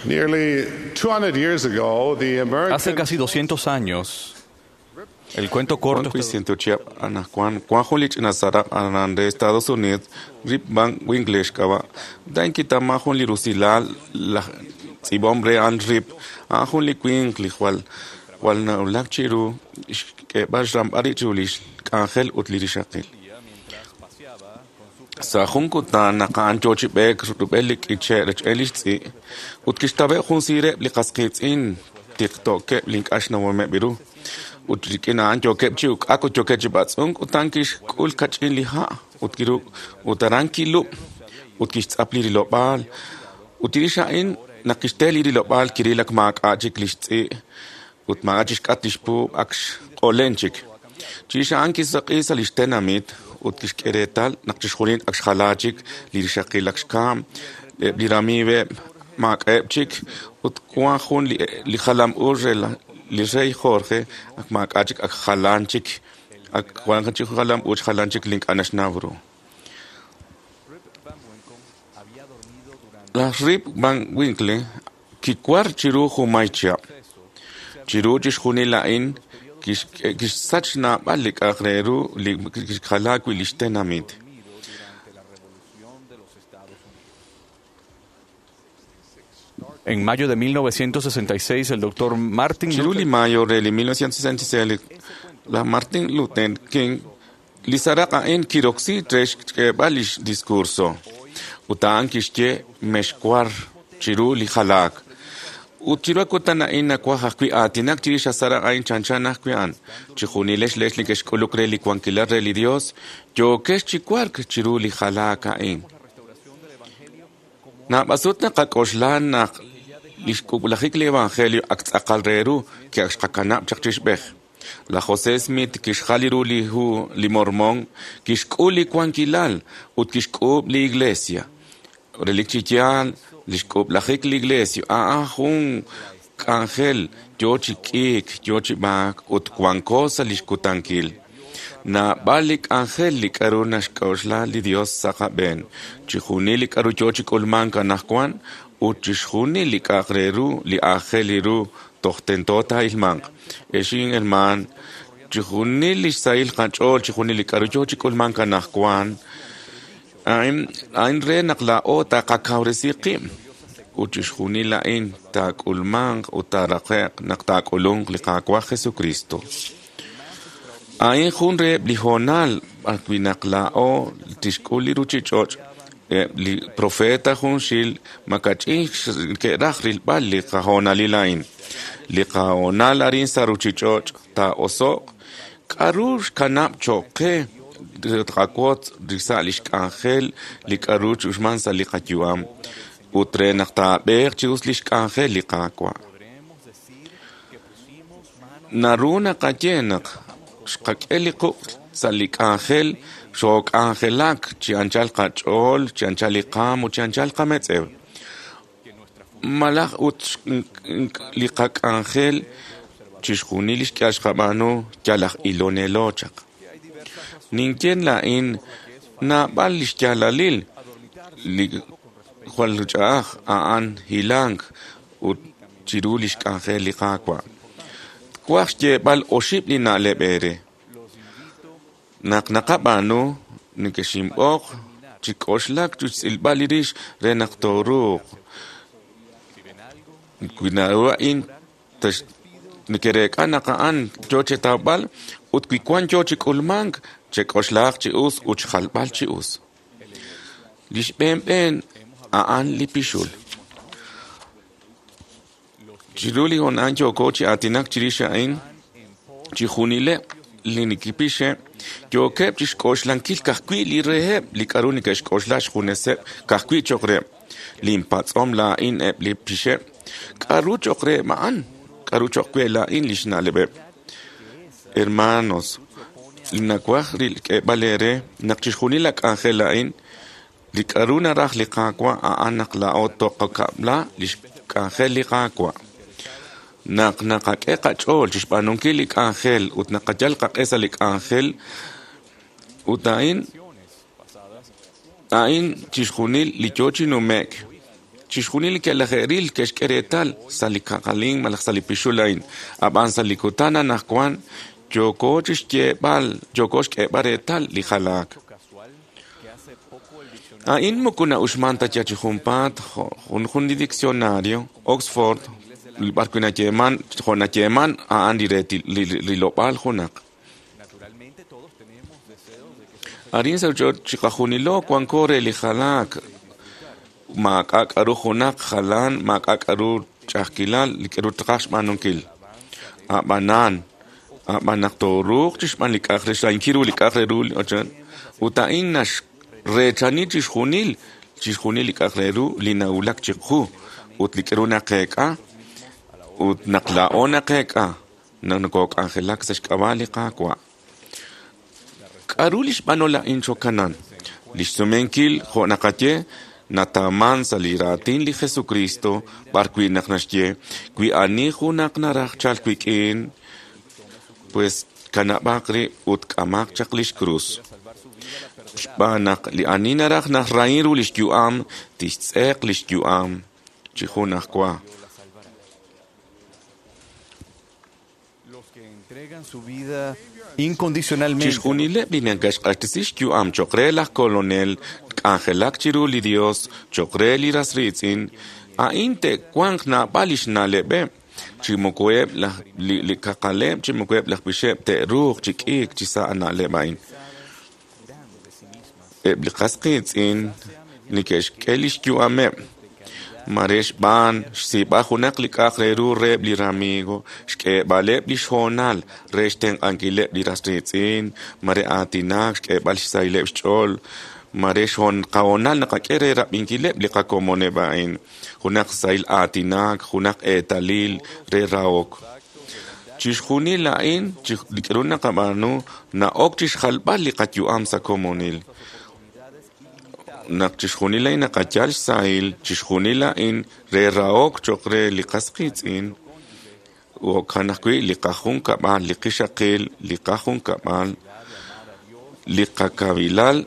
[SPEAKER 10] Nearly 200 years ago, the American
[SPEAKER 2] Hace casi 200 años, el cuento corto
[SPEAKER 13] Juan Juan Juan Julich Nazara de Estados Unidos, Rip Van Winkle xk'ab'a' dan kitama jun li rusilal laj tz'iib'om re a'an Rip a'an jun li winq li jwal jwal nawulak chiru xk'eeb'al xramb'al rib' chiru lix k'anjel ut li rixaqil. Sa' jun kutan naq a'an yoo chi b'eek rub'el li k'iche' rech'el lix tz'i' ut kixtaweb' jun siireb' li qas qiitz'in tiqto'keb' li ink'a' xnawomeb' ru. Ut rik'in a'an yookeb' chi uk'ak ut yookeb' chi b'atz'unk ut a'an kixk'ul kach'in li ha' ut kiruk' ut aran kilub' ut kixtz'ap li rilob'aal. Ut chirix a'in naq kixte li rilob'aal kiril ak maak'a' chik lix tz'i' ut maak'a' chixk'at lix puub' ak xq'olen chik. Chirix a'an kisaq'i sa' lix tenamit ut kixk'e reetal naq chixjunil ak xjala chik li rixaqil ak xkaam, eb' li ramiiweb' maak'a'eb' chik ut wan jun li jalam u re li rey Jorge ak maak'a' chik ak jalan chik ak wan chik jalam u jalan chik li ink'a' naxnaw ru. Laj Rip Van Winkle kiwar chiru jumay chihab'. Chiru chixjunil a'in kixsach naab'al li k'a'aq re ru li kixjala wi' lix tenamit.
[SPEAKER 2] En mayo de 1966, el doctor Martin
[SPEAKER 13] Chiru li
[SPEAKER 2] Luther
[SPEAKER 13] mayo re li 1966, laj Martin Luther King Li seraq' a'in kiroksi re xk'eeb'al lix discurso. Ut a'an kixye mexwar chiru li jalaak. Ut chiru kutan a'in nawaj ajwi' aatinak chirix a seraq' a'in chanchan ajwi' a'an. Chijunilex leex neke'xk'uluk re li wankilal re li Dios, yookex chi wark chiru li jalaak a'in. Naab'asut naqak'oxla naq li xk'ub'lajik li evangelio ak tz'aqal re ru ke ak xqakanab' chaq chixb'ej. Laj José Smith kixjal ru li hu li Mormón, kixk'ul li wankilal ut kixk'uub' li iglesia. Relik chi yaal, li xk'ub'lajik li iglesia a'an jun k'anjel yo chi k'iik, yo chi b'aak ut wanko sa' lix kutankil. Naab'al li k'anjel li k'a'ru naxk'oxla li Dios sa' qab'een, chixjunil li k'a'ru yo chi k'ulmank anaqwan ut chixjunil li k'a'aq re ru li aajel ru toj tento taa'ilmanq. Ex hermaan, chixjunil li xsahil qach'ool, chixjunil li k'a'ru yo chi k'ulmank anaqwan, a'in re naq laa'o taqakawresi qib' ut chixjunil a'in taak'ulmanq ut taaraqe'q naq taak'ulunq li Qaawa' Jesucristo. A'in jun reheb' li hoonal b'arwi' naq laa'o tixk'ul li ruchich'och' eb' li profeta junxil makach'in ke'raj rilb'al li qahoonalil a'in. Li qahoonal arin sa' ruchich'och' taa'oso'q k'a'ru xkanab' cho'q qe tqawotz sa' lix k'anjel li k'a'ru chuxman sa' li qayu'am ut re naq taab'eeq chi us lix k'anjel li Qaawa'. Naru naqaye naq xqak'e li quq' sa' li k'anjel xook'anjelak chi anchal qach'ool, chi anchal li qaam ut chi anchal qametz'ew. Malaj ut li qak'anjel chixjunil li xk'al xqab'aanu yal aj ilonelo chaq. Ninye laa'in naab'al li xyaalalil li jwal ch'a'aj a'an hilank ut chiru lix k'anjel li Qaawa'. Twaj xyeeb'al oxib' li na'leb' eere. Naq naqab'aanu, nekexinb'oq chi k'oxlak chi xtz'ilb'al li rix re naq tooruuq. Wi naru a'in nekereek'a naq a'an yo chetawb'al ut wi wan yo chi k'ulmank, chek'oxlaaq chi us ut xjalb'al chi us. Li xb'een b'een a'an li pixul. Chiru li hoonal yooko chi aatinak chirix a'in, chixjunileb' li neke'pixeb' yookeb' chixk'oxlankil ka'ajwi' li reheb' li k'a'ru neke'xk'oxla xjuneseb' ka'ajwi' cho'q reheb'. Linpatz'om laa'in eb' li pixeb' k'a'ru cho'q reheb' a'an, k'a'ru cho'q we laa'in li xna'leb'eb'. Hermanos, li nawaj k'eeb'al eere naq chixjunil la k'anjel a'in, li k'a'ru naraj li Qaawa' a'an naq laa'o toqakab'la lix k'anjel li Qaawa'. Naq naqak'e qach'ool chixb'aanunkil li k'anjel ut naqayal qaq'e sa' li k'anjel ut a'in chixjunil li yo chi nume'k. Chixjunil li ke'laje'ril ke'xk'e reetal sa' li kaqalin malaj sa' li pixul a'in. Ab'an sa' li kutan anaqwan yooko chixyeeb'al, yooko xk'eeb'al reetal li jalaak. A'in moko na'uxman ta yal chi junpaat jun li diccionario Oxford b'arwi' nayeeman jo' nayeeman a'an li rilob'aal junaq. Arin sa' ruchich'och' chiqajunilo wanko re li jalaak. Maak'a' k'a'ru junaq jalan, maak'a' k'a'ru ch'a'ajkilal li k'a'ru taqaj xb'aanunkil. A'b'anan, a'b'an naq tooruuq chixb'aan li k'a'aq re xrahinkil ru li k'a'aq re ru ut a'in naxreechani chixjunil li k'a'aq re ru li nawulak chiqu ut li k'a'ru naqeek'a ut naq laa'o naqeek'a naq nokok'anjelak sa' xk'ab'a' li Qaawa'. K'a'ru li xb'anol a'in cho'kanan? Li xsumenkil jo' naqaye nataaman sa' li raatin li Jesucristo b'arwi' naq naxye wi ani junaq naraj chalk wik'in, pues kanab'aq rib' ut k'amaq chaq lix krus. Xb'aan naq li ani naraj najrahin ru lix yu'am, tixtz'eq lix yu'am chi junajwa. Chixjunileb' li neke'xq'axtesi xyu'am cho'q re laj kolonel k'anjelak chiru li Dios cho'q re li ras riitz'in, a'in te'wanq naab'al lix na'leb'eb'. Chi moko eb' li kaqaleb', chi moko eb' laj pixeb' te'ruuq chi k'iik chi sa' na'leb' a'in. Eb' li qas qiitz'in neke'xk'e li xyu'ameb', mare xb'aan xsiib'al junaq li k'a'aq re ru reheb' li ramigo, xk'eeb'aleb' li xhoonal re xtenq'ankileb' li ras riitz'in, mare aatinak, xk'eeb'al xsahileb' xch'ool, mare qahoonal naqak'e re rab'inkileb' li qakomoneb' a'in, junaq sahil aatinak, junaq eetalil re rahok. Chixjunil a'in li k'aru naqab'aanu na'ok chixjalb'al li qayu'am sa' komonil. Naq chixjunil a'in naqayal xsahil, chixjunil a'in re rahok cho'q re li qas qiitz'in, jo'kan ajwi' li qajunkab'al, li qixaqil, li qajunkab'al, li qakawilal,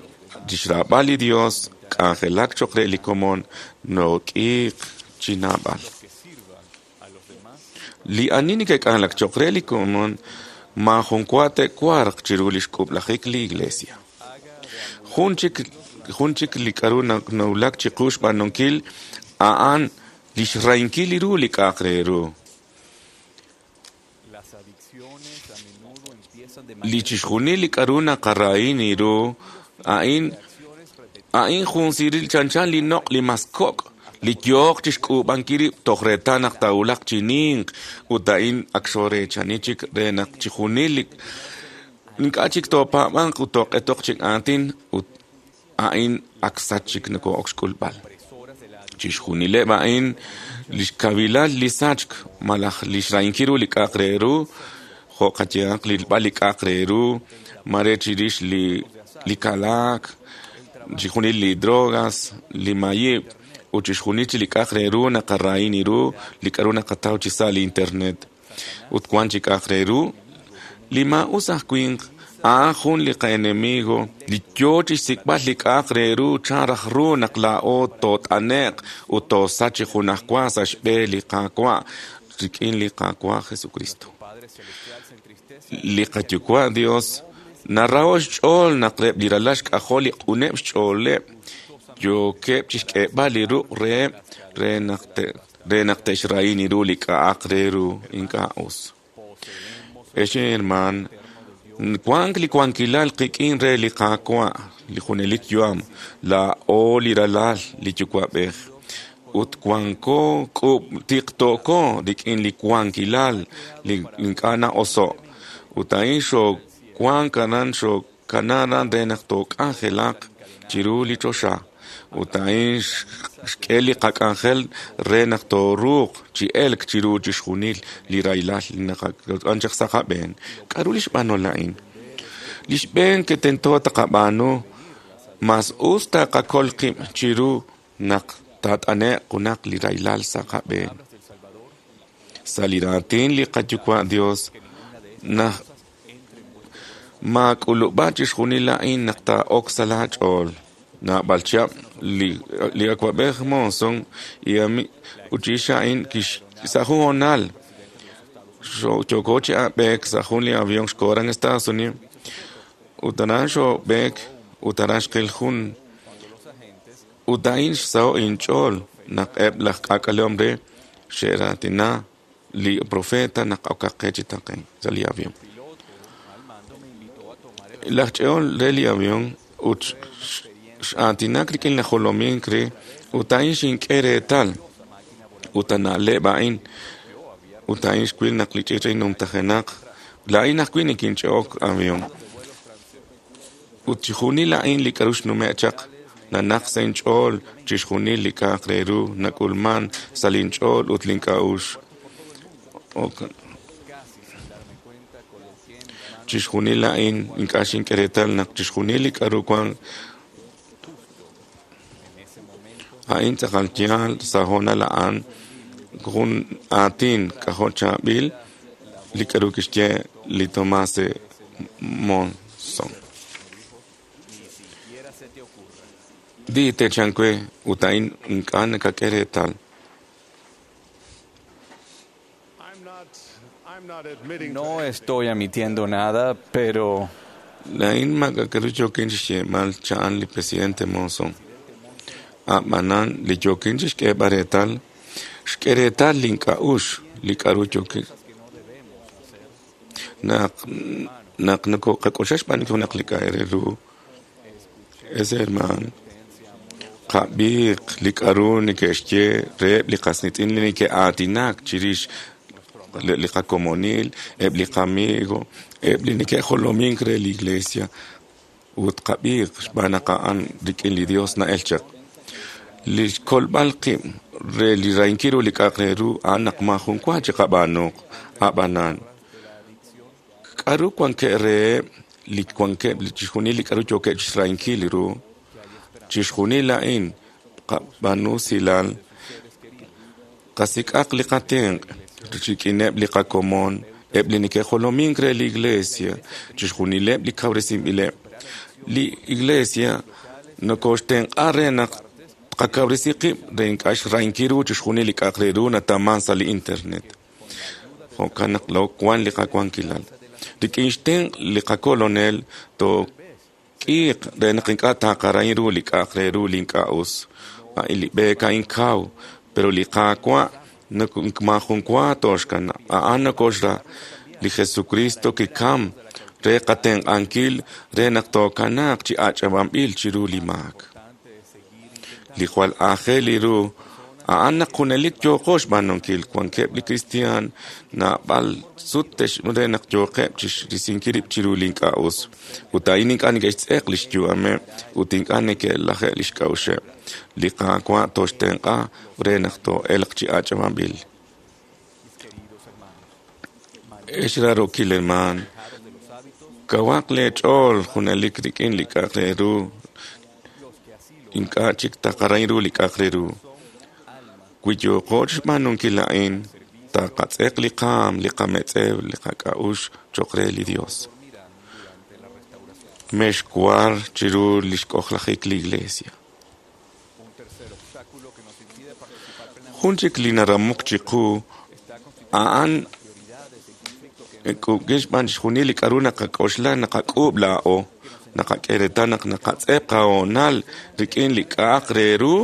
[SPEAKER 13] chixraab'al li Dios, k'anjelak cho'q re li komon, nook'iiq chi naab'al. Li ani neke'k'anjelak cho'q re li komon maajun wa te'warq chiru li xk'ub'lajik li Iglesia. Jun chik li k'aru nawulak chiqu xb'aanunkil a'an li xrahinkil ru li k'a'aq re ru. Li chixjunil li k'aru naqarahin ru a'in jun siiril chanchan li noq' li mas kok' li yooq chi xk'uub'ankil rib' toj reetal naq taawulaq chi ninq ut a'in ak xoreechani chik re naq chixjunil li ink'a' chik toopaab'anq ut tooq'etoq chik aatin ut a'in ak sach chik noko'ok xk'ulb'al. Chixjunileb' a'in li xkawilal li sachk malaj li xrahinkil ru li k'a'aq re ru, jo' qayehaq rilb'al li k'a'aq re ru, mare chirix li kalaak, chixjunil li drogas, li mayib', ut chixjunil chi li k'a'aq re ru naqarahin ru li k'aru naqataw chi sa' li internet. Ut wan chi k'a'aq re ru li maa'us aj winq a'an jun li qa'enemigo li yoo chixsik'b'al li k'a'aq re ru chan raj ru naq laa'o toot'ane'q ut toosach chi junajwa sa' xb'e li Qaawa' rik'in li Qaawa' Jesucristo. Li qaYuwa' Dios naraho' xch'ool naq reb' li ralal xk'ajol li q'uneb' xch'ooleb' yookeb' chixk'eeb'al li ruq' reheb' re naq te'xrahin ru li k'a'aq re ru ink'a' us. Ex hermaan, wank li wankilal qik'in re li Qaawa', li junelik yu'am, laa'o li ralal li Yuwa'b'ej. Ut wanko tiqto'ko rik'in li wankilal li ink'a' na'oso'. Ut a'in xoowank aran xookana aran re naq took'anjelaq chiru li choxa. Ut a'in xk'e li qak'anjel re naq tooruuq chi elk chiru chixjunil li rahilal li naqak'an chaq sa' qab'een. K'aru li xb'aanol a'in? Li xb'een ke tento taqab'aanu mas us taqakol qib' chiru naq taat'ane'q junaq li rahilal sa' qab'een. Sa' li raatin li qaYuwa' Dios naq maak'ulub'a chixjunil a'in naq taa'ok sa' laach'ool. Naab'al chihab' li awa'b'ej Monson ut chirix a'in sa' jun hoonal yooko chi b'eek sa' jun li avión xkoho aran Estados Unidos ut aran xoob'eek ut aran xqil jun ut a'in xsaho' inch'ool naq eb' laj k'aak'alehom re xe'raatina li profeta naq okaq qe chi taqen sa' li avión. Laj ch'eol re li avión ut x'aatinak rik'in laj jolomink re ut a'in xink'e reetal ut ana'leb' a'in ut a'in xwil naq li ch'iich' numtajenaq laa'in ajwi' nikinch'e'ok avión. Ut chixjunil a'in li k'aru xnume' chaq nanaq sa' inch'ool chixjunil li k'a'aq re ru nak'ulman sa' linch'ool ut link'a'uxl. Chixjunil a'in ink'a' xink'e reetal naq chixjunil li k'aru wank a'in tz'aqal yaal sa' hoonal a'an jun aatin k'ajo' chaab'il li k'aru kixye li Tomás Monson. Di techan we ut a'in ink'a' nakak'e reetal.
[SPEAKER 2] No estoy admitiendo nada, pero
[SPEAKER 13] Laa'in maak'a'ru yookin chixyeeb'al cha'an li presidente Monson. A'b'anan li yookin chixk'eeb'al reetal, xk'e reetal link'a'uxl li k'aru yookin. Naq nokoqak'oxla xb'aanunkil junaq li k'a' re ru, Es hermaan, qab'iiq li k'aru neke'xye reheb' li qas qiitz'in li neke'aatinak chirix li qakomonil, eb' li qamigo, eb' li neke'jolomink re li iglesia ut qab'iiq xb'aan naq a'an rik'in li Dios na'el chaq. Li xkolb'al qib' re li rahinkil ru li k'a'aq re ru a'an naq maajun wa chiqab'aanuq ab'anan. K'aru wankeb' reheb' li wankeb' chixjunil li k'aru yookeb' chixrahinkil ru? Chixjunil a'in qab'aanu silal, qasik'aq li qatenq' rik'ineb' li qakomon, eb' li neke'jolomink re li iglesia, chixjunileb' li kawresinb'ileb'. Li iglesia nokoxtenq'a re naq tqakawresi qib' re ink'a' xrahinkil ru chixjunil li k'a'aq re ru nataman sa' li internet. Jo'kan naq wan li qawankilal. Rik'in xtenq' li qakolonel took'iiq re naq ink'a' taqarahin ru li k'a'aq re ru li ink'a' us. A'in li b'eek a'in kaw, pero li Qaawa' maajun wa tooxkanab'. A'an nokoxra. Li Jesucristo kikam re qatenq'ankil re naq tookanaaq chi ach'ab'anb'il chiru li maak. Li jwal aajel ru a'an naq junelik yooqo xb'aanunkil. Wankeb' li kristiaan naab'al sut re naq yooqeb' chirisinkil rib' chiru li ink'a' us. Ut a'in ink'a' neke'xtz'eq li xyu'ameb' ut ink'a' neke'laje' li xk'a'uxeb'. Li Qaawa' tooxtenq'a re naq too'elq chi ach'ab'anb'il. Ex raarokil hermaan, kawaq leech'ool junelik rik'in li k'a'aq re ru. Ink'a' chik taqarahin ru li k'a'aq re ru. Wi yooqo chixb'aanunkil a'in, taqatz'eq li qaam, li qametz'ew, li qak'a'uxl cho'q re li Dios. Mexwar chiru li xk'ojlajik li iglesia. Jun chik li naramok chiqu a'an k'ub'kil xb'aan chixjunil li k'aru naqak'oxla naqak'uub' laa'o. Naqak'e reetal naq naqatz'eq qahoonal rik'in li k'a'aq re ru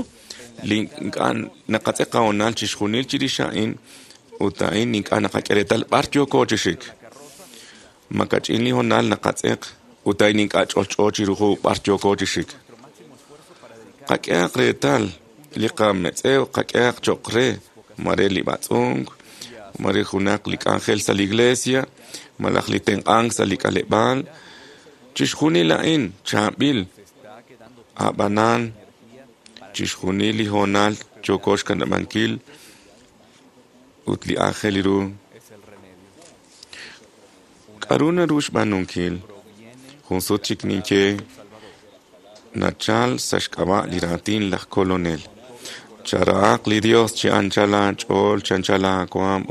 [SPEAKER 13] li ink'a' naqatz'eq qahoonal chixjunil chirix a'in ut a'in ink'a' naqak'e reetal b'ar yooko chi xik. Makach'in li hoonal naqatz'eq ut a'in ink'a' ch'olch'o chiru b'ar yooko chi xik. Qak'ehaq reetal li qametz'ew qak'ehaq cho'q re mare li b'atz'unk, mare junaq li k'anjel sa' li iglesia, malaj li tenq'ank sa' li k'aleb'aal. Chixjunil a'in chaab'il, ab'anan chixjunil li hoonal yooko xkanab'ankil ut li aajel ru. K'aru naru xb'aanunkil? Jun sut chik ninye nachal sa' xk'ab'a' li raatin laj kolonel. Charahaq li Dios chi anchal aach'ool, chi anchal aawaam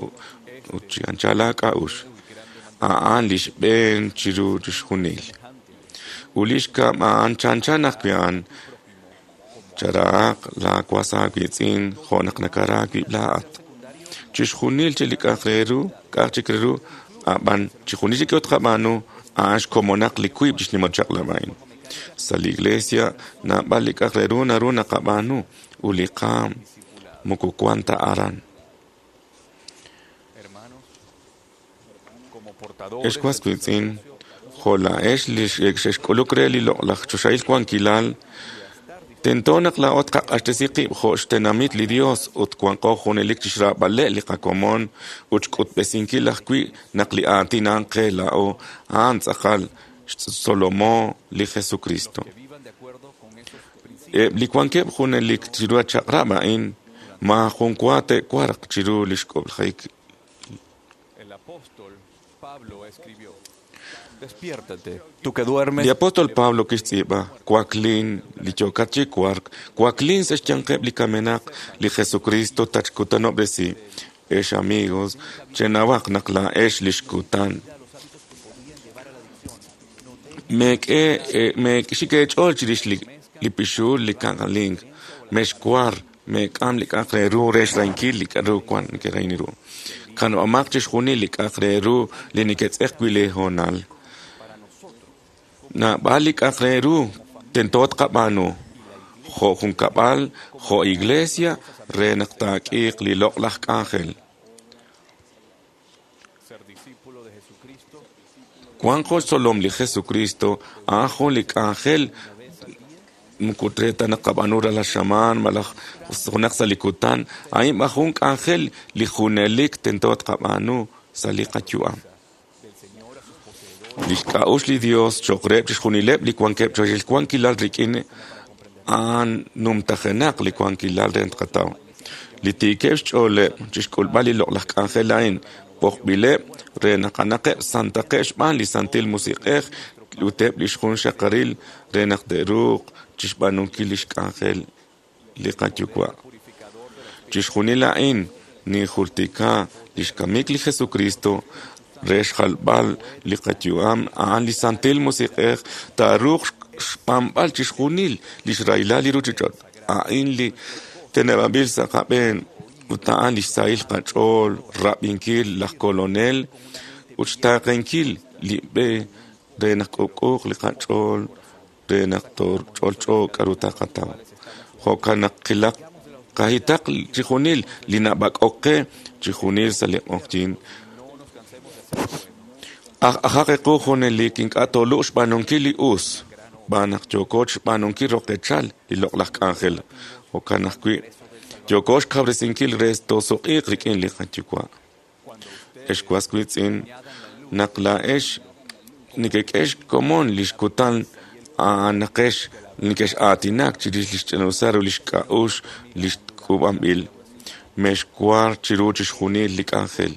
[SPEAKER 13] ut chi anchal aak'a'uxl. A'an li xb'een chiru chixjunil. Ut li xkab' a'an chanchan ajwi' a'an. Charahaq laawas aawiitz'in jo' naq nakara aawib' laa'at. Chixjunil chi li k'a'aq re ru, k'a'aq chik re ru, ab'an chixjunil chik tqab'aanu a'an xkomonaq li wiib' chi xnimal chaq'lab' a'in. Sa' li iglesia naab'al li k'a'aq re ru naru naqab'aanu ut li qaam moko wan ta aran. Ex was wiitz'in, jo' laa'ex li xe'xk'uluk re li loq'laj choxahil wankilal, tento naq laa'o tqaq'axtesi qib' jo' xtenamit li Dios ut wanqo junelik chixraab'aleb' li qakomon ut xk'utb'esinkil ajwi' naq li aatin a'an qe laa'o a'an tz'aqal xtzolomo li Jesucristo. Eb' li wankeb' junelik chiru chaq'rab' a'in maajun wa te'warq chiru li xk'ob'lajik. Li apóstol Pablo kixtz'iib'a waklin li yookat chi wark, waklin sa' xyanqeb' li kamenaq li Jesucristo tatxkutanob'resi. Ex amigos, chenawaq naq laa'ex li xkutan. Meek'e meek'xik eech'ool chirix li pixuul li kaqalink, mexwar, meek'am li k'a'aq re ru re xrahinkil li k'a'ru wan nekerahil ru. Kanab'amaq chixjunil li k'a'aq re ru li neketz'eq wi' lee hoonal. Naab'al li k'a'aq re ru tento tqab'aanu jo' junkab'al, jo' iglesia, re naq taak'iiq li loq'laj k'anjel. Wanqo xtzolom li Jesucristo a'an jun li k'anjel Moko re ta naq qab'aanu ralal xamaan malaj junaq sa' li kutan, a'in b'an jun k'anjel li junelik tento tqab'aanu sa' li qayu'am. Lix k'a'uxl li Dios cho'q reheb' chixjunileb' li wankeb' choxil wankilal rik'in a'an numtajenaq li wankilal re tqataw. Li tiikeb' xch'ooleb' chixk'ulb'al li loq'laj k'anjel a'in b'oqb'ileb' re naq anaqeb' santaqeb' xb'aan li Santil Musiq'ej ut eb' lix junxaqaril re naq te'ruuq chixb'aanunkil lix k'anjel li qaYuwa'. Chixjunil a'in ninjultika lix kamik li Jesucristo re xjalb'al li qayu'am a'an li Santil Musiq'ej taaruuq xb'anb'al chixjunil lix rahilal li ruchich'och'. A'in li teneb'anb'il sa' qab'een ut a'an lix sahil qach'ool rab'inkil laj Kolonel ut xtaaqenkil li b'e re naq k'uub'k'uuq li qach'ool re naq ch'olch'o k'a'ru taqataw. Jo'kan naq qilaq qahitaq chixjunil li nab'ak'ok qe chixjunil sa' li q'oqyink. Ajaq equ junelik ink'a' toluq xb'aanunkil li us, xb'aan naq yooko xb'aanunkil roqechal li loq'laj k'anjel. Jo'kan ajwi' yooko xkawresinkil re toosuq'iiq rik'in li qaYuwa'. Ex was wiitz'in, naq laa'ex nekek'e xkomon lix kutan a'anaqex nekex'aatinak chirix lix ch'ina'usal ru lix k'a'uxl lix k'uub'anb'il. Mexwar chiru chixjunil li k'anjel.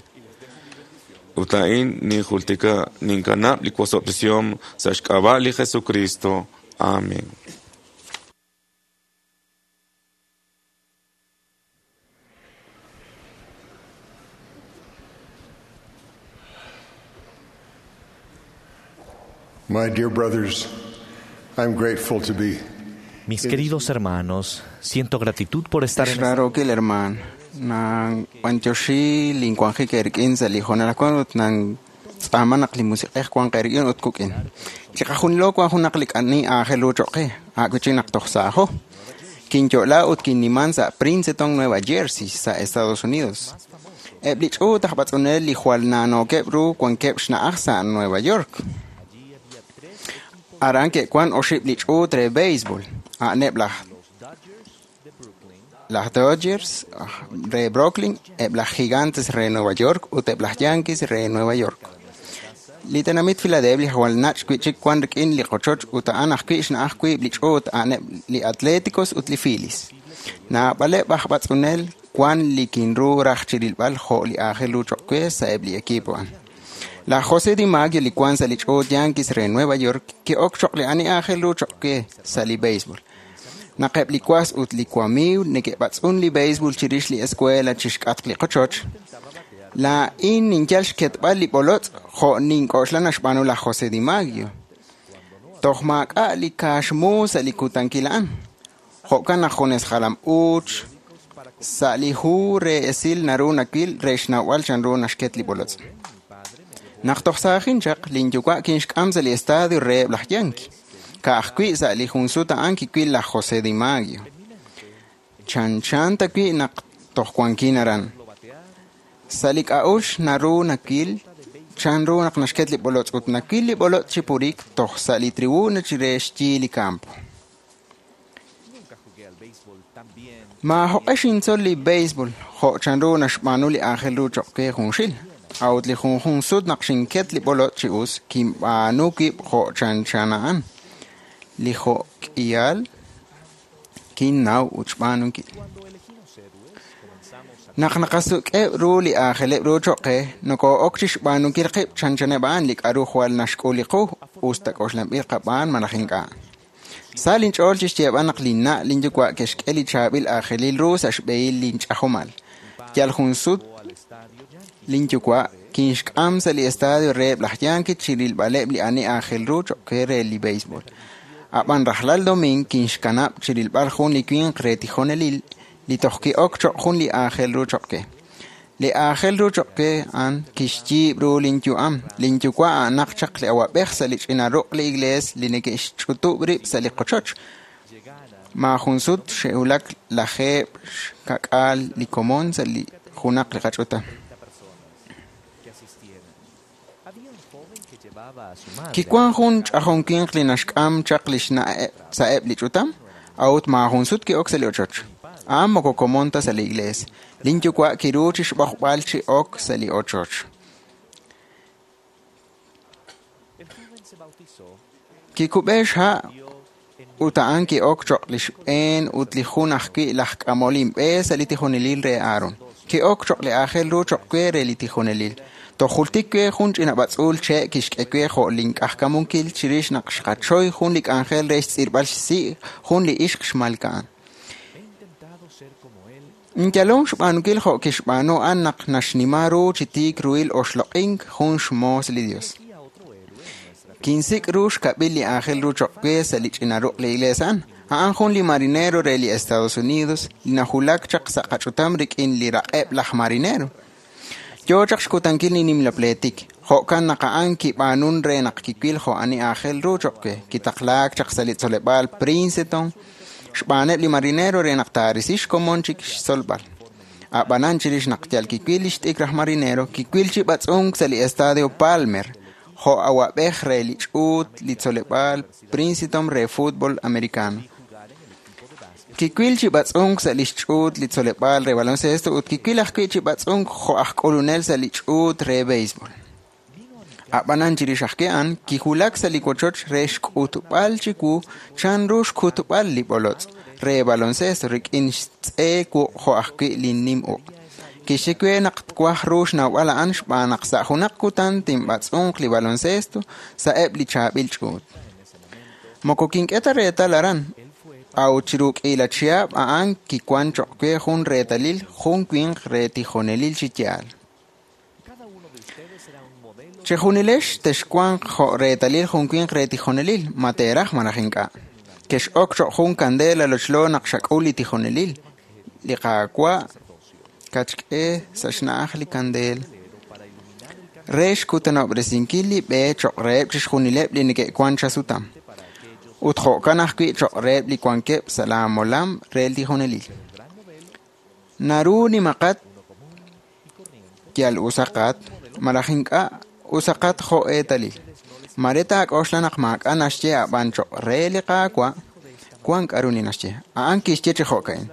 [SPEAKER 13] Ut a'in ninjultika ninkanab' li wosob'tesihom sa' xk'ab'a' li Jesucristo. Amén.
[SPEAKER 10] My dear brothers, I'm grateful to be
[SPEAKER 14] Mis queridos hermanos, siento gratitud por estar en esta
[SPEAKER 3] Xrarookil hermaan, nang b'antioxi linwanjik eerik'in sa' li hoonal ajwan ut nang tz'aama naq li musiq'ej wan qeerik'in ut kuk'in. Chiqajunilo wan junaq li k'ani aajel ru cho'q qe, a'wichi naq toj saajo. Kinyo'la ut kinniman sa' Princeton, Nueva Jersey, sa' Estados Unidos. Eb' li ch'uut aj b'atz'unel li jwal naanookeb' ru wankeb' xna'aj sa' Nueva York. Aran ke'wan oxib' li ch'uut re béisbol, a'aneb' laj Dodgers re Brooklyn, eb' laj Gigantes re Nueva York ut eb' laj Yankees re Nueva York. Li tenamit Philadelphia jwal nach' wi'chik wan rik'in li qochoch ut a'an ajwi' xna'aj wiib' li ch'uut a'aneb' li Atléticos ut li Phillies. Naab'aleb' aj b'atz'unel wan li kinru raj chirilb'al jo' li aajel ru cho'q we sa'eb' li equipo a'an. Laj José DiMaggio li wan sa' li ch'uut Yankees re Nueva York ki'ok cho'q li ani aajel ru cho'q we sa' li béisbol. Naq eb' li was ut li wamiiw neke'b'atz'un li béisbol chirix li escuela chixk'atq li qochoch, laa'in ninyal xketb'al li b'olotz' jo' nink'oxla naxb'aanu laj José DiMaggio. Toj maak'a' li kaaxmu sa' li kutankil a'an. Jo'kan naq junes jalam uuch sa' li hu re esil naru nawil re xnawb'al chanru naxket li b'olotz'. Naq toj saajin chaq, linyuwa' kinxk'am sa' li estadio reheb' laj Yankee. Ka'ajwi' sa' li jun sut a'an kiwil laj José DiMaggio. Chanchan ta wi' naq toj wankin aran. Sa' li k'a'uxl naru nawil chanru naq naxket li b'olotz' ut nawil li b'olotz' chi purik toj sa' li tribuna chire xyi li campo. Maajoq'e xintzol li béisbol jo' chanru naxb'aanu li aajel ru cho'q we junxil. A'ut li junjun sut naq xinket li b'olotz' chi us, kinb'aanu wib' jo' chanchan a'an. Li jo'k'ihal kinnaw ut xb'aanunkil. Naq naqasuk'eb' ru li aajeleb' ru cho'q qe, nokoo'ok chixb'aanunkil qib' chanchaneb' a'an li k'a'ru jwal naxk'ul li qu, us ta k'oxlanb'il qab'aan malaj ink'a'. Sa linch'ool chixyeeb'al naq linna' linyuwa' ke'xk'e li chaab'il aajelil ru sa' xb'ehil linch'ajomal. Yal jun sut linyuwa' kinxk'am sa' li estadio reheb' laj Yankees chirilb'aleb' li ani aajel ru cho'q qe re li béisbol. Ab'an rajlal domiing kinxkanab' chirilb'al jun li winq re tijonelil li toj ki'ok cho'q jun li aajel ru cho'q qe. Li aajel ru cho'q qe a'an kixyiib' ru linyu'am. Linyuwa' a'anaq chaq li awab'ej sa' li ch'ina ruq' li iglees li neke'xch'utub' rib' sa' li qochoch. Maajun sut xe'wulak lajeeb' xka'k'aal li komon sa' li junaq li qach'utam. Kiwan jun ch'ajon winq li naxk'am chaq lix na'eb' sa'eb' li ch'utam. A'ut maajun sut ki'ok sa' li ochoch. A'an moko komon ta sa' li iglees. Lin yuwa' kiru chixb'oqb'al chi ok sa' li ochoch. Kikub'e xha' ut a'an ki'ok choq' li xb'een ut li jun ajwi' laj k'amol inb'e sa' li tijonelil re Aaron. Ki'ok choq' li aajel ru choq' we re li tijonelil. Toj jultik we jun ch'ina b'atz'uul che' kixk'e we jo' link'ajkamunkil chirix naq xqachoy jun li k'anjel re xtz'irb'al xsi' jun li ixq xmalka'an. Inyalom xb'aanunkil jo' kixb'aanu a'an naq naxnima ru chi tiik ruhil oxloq'ink jun xmoos li Dios. Kinsik' ru xkab'il li aajel ru choq' we sa' li ch'ina ruq' li iglees a'an. A'an jun li marinero re li Estados Unidos li najulak chaq sa' qach'utam rik'in li raq'eb' laj marinero. Yoo chaq xkutankil li nimla pleetik. Jo'kan naq a'an kib'aanun re naq kiwil jo' ani aajel ru choq' we. Kitaqlaak chaq sa' li tzoleb'aal Princeton xb'aaneb' li marinero re naq taarisi xkomon chik xtzolb'al. A'b'anan chirix naq yal kiwil li xt'ikr aj marinero, kiwil chi b'atz'unk sa' li Estadio Palmer, jo' awa'b'ej re li ch'uut li tzoleb'aal Princeton re fútbol americano. Kiwil chi b'atz'unk sa' li xch'uut li tzoleb'aal re baloncesto ut kiwil ajwi' chi b'atz'unk jo' aj k'ulunel sa' li ch'uut re béisbol. A'b'anan chirix ajwi' a'an, kiwulak sa' li wochoch re xk'utb'al chiwu chanru xkutb'al li b'olotz' re baloncesto rik'in xtz'e wuq' jo' ajwi' li nim uq'. Kixye we naq twaj ru xnawb'al a'an xb'aan naq sa' junaq kutan tinb'atz'unq li baloncesto sa'eb' li chaab'il ch'uut. Moko kink'e ta reetal aran, a'ut chiru k'iila chihab' a'an kiwan choq' we jun reetalil jun winq re tijonelil chi yaal. Chejunilex texwanq jo' reetalil jun winq re tijonelil, ma teeraj malaj ink'a'. Kex'ok choq' jun kandela lochlo naq xak'ul li tijonelil. Li Qaawa' katxk'e sa' xna'aj li kandeel re xkutanob'resinkil li b'e choq' reheb' chixjunileb' li neke'wan chasutam. Ut jo'kan ajwi' choq' reheb' li wankeb' sa' laa molam re li tijonelil. Naru nimaqat yal usaqat malaj ink'a' usaqat jo' eetalil. Mare taak'oxla naq maak'a' naxye a'b'an choq' re li Qaawa' wan k'a'ru li naxye. A'an kixye chi jo'ka'in.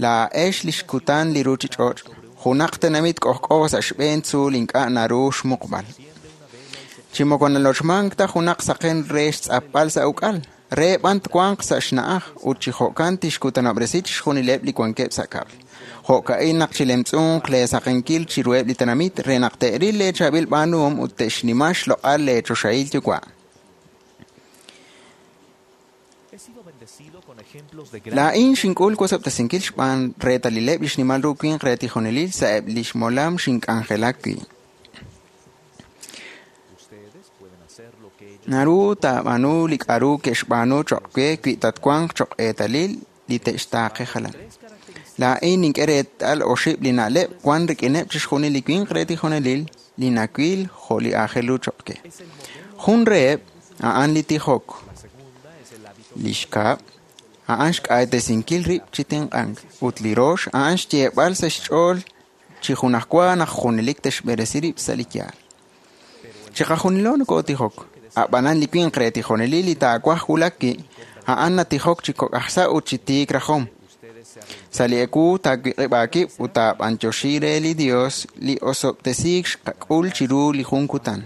[SPEAKER 3] Laa'ex li xkutan li ruchich'och', junaq tenamit k'ojk'o sa' xb'een tzuul ink'a' naru xmuqb'al. Chi moko nalochmank ta junaq saqen re xtz'apb'al sa' uk'al, re b'an twanq sa' xna'aj ut chi jo'kan tixkutanob'resi chixjunileb' li wankeb' sa' kab'l. Jo'ka'in naq chilemtz'unq leesaqenkil chiruheb' li tenamit re naq te'ril leechaab'il b'aanuhom ut te'xnima xloq'al leechoxahil yuwa'. Laa'in xink'ul wosob'tesinkil xb'aan reetalileb' li xnimal ru winq re tijonelil sa'eb' li xmolam xink'anjelak wi'. Naru taab'aanu li k'a'ru ke'xb'aanu choq' we wi tatwanq choq' eetalil li te'xtaaqe jalan. Laa'in nink'e reetal oxib' li na'leb' wan rik'ineb' chixjunil li winq re tijonelil li nawil jo' li aajel ru choq' we. Jun reheb' a'an li tijok. Li xkab' a'an xk'aaytesinkil rib' chi tenq'ank ut li rox a'an xyeeb'al sa' xch'ool chi junajwa naq junelik te'xb'eresi rib' sa' li yaal. Chiqajunilo nokootijok. A'b'anan li winq re tijonelil li taawaj wulak wi' a'an natijok chi kok' aj sa' ut chi tiik rajom. Sa' li ewu taawiq'ib' aawib' ut taab'antioxi re li Dios li osob'tesiik xqak'ul chiru li jun kutan.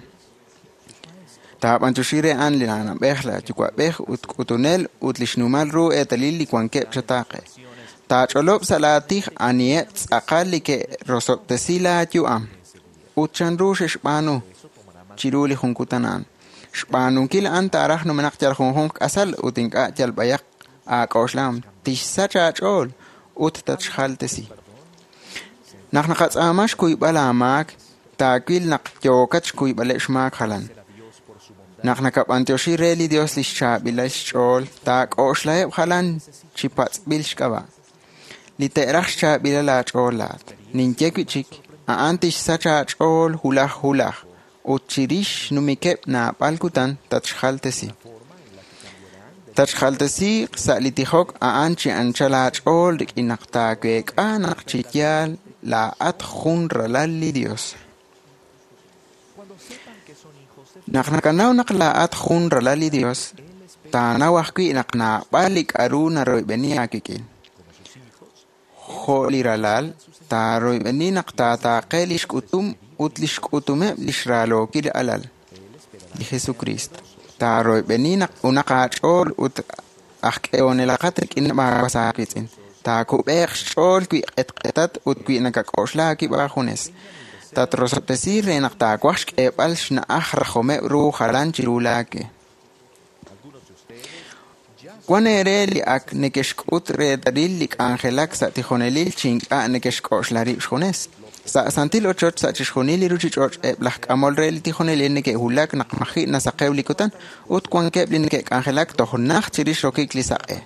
[SPEAKER 3] Taab'antioxi re a'an li na'b'ej, la yuwa'b'ej ut k'utunel ut li xnimal ru eetalil li wankeb' chataaqe. Taach'olob' sa' laatij aniheb' tz'aqal li ke'rosob'tesi laayu'am ut chanru xe'xb'aanu chiru li jun kutan a'an. Xb'aanunkil a'an taaraj numenaq yal junjunq k'asal ut ink'a' yal b'ayaq aak'oxlahom. Tixsach aach'ool ut tatxjaltesi. Naq naqatz'aama xkuyb'al aamaak, taawil naq yookat xkuyb'aleb' xmaak jalan. Naq nakab'antioxi re li Dios li xchaab'ilal xch'ool, taak'oxlaheb' jalan chi patz'b'il xk'ab'a'. Li te'raj xchaab'ilal aach'ool laat. Ninye wi' chik, a'an tixsach aach'ool hulaj hulaj ut chirix xnumikeb' naab'al kutan tatxjaltesi. Tatxjaltesi sa' li tijok a'an chi anchal aach'ool rik'in naq taaweek'a naq chi yaal laa'at jun ralal li Dios.
[SPEAKER 15] Naq nakanaw naq laa'at jun ralal li Dios, taanaw ajwi' naq naab'al li k'a'ru naroyb'eni aawik'in. Jo' li ralal, taaroyb'eni naq taataaqe lix k'utum ut lix k'utumeb' lix raalookil alal, li Jesucristo. Taaroyb'eni naq unaq aach'ool ut aj k'ehonelaqat rik'ineb' aawas aawiitz'in. Taakub'eeq xch'ool wi q'etq'etat ut wi nakak'oxla aawib' aajunes. Tatrosob'tesi re naq taawaj xk'eeb'al xna'aj rajomeb' ru jalan chiru laawe. Wan eere li ak nekexk'ut reetalil li k'anjelak sa' tijonelil chi ink'a' nekexk'oxla rib' xjunes. Sa' santil ochoch sa' chixjunil li ruchich'och' eb' laj k'amol re li tijonelil neke'wulak naq maji' nasaqew li kutan ut wankeb' li neke'k'anjelak toj najt chirix rokik li saq'e.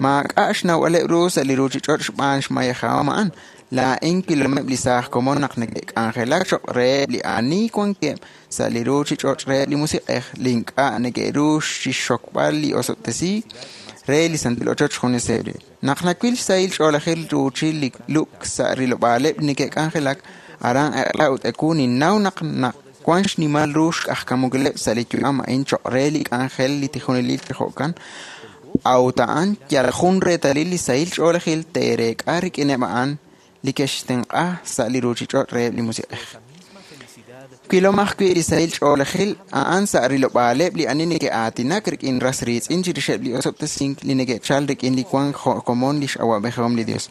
[SPEAKER 15] Maak'a' xnawb'aleb' ru sa' li ruchich'och' xb'aan xmayejahom a'an. Laa'in wilomeb' li saaj komon naq neke'k'anjelak choq' reheb' li ani wankeb' sa' li ruchich'och' reheb' li musiq'ej li ink'a' neke'ru chixxokb'al li osob'tesiik re li santil ochoch juneseb' rib'. Naq nawil xsahil ch'oolejil ruuchil li lub'k sa' rilob'aaleb' li neke'k'anjelak, aran eq'la ut ewu ninnaw naq wan xnimal ru xk'ajkamukileb' sa' li yu'am a'in choq' re li k'anjel li tijonelil chi jo'kan, a'ut a'an yal jun reetalil li sahil ch'oolejil teereek'a rik'ineb' a'an li ke'xtenq'a sa' li ruchich'och' reheb' li musiq'ej. Wilom ajwi' li sahil ch'oolejil a'an sa' rilob'aaleb' li ani neke'aatinak rik'in ras riitz'in chirixeb' li osob'tesink li neke'chal rik'in li wank jo' komon lix awa'b'ejihom li Dios.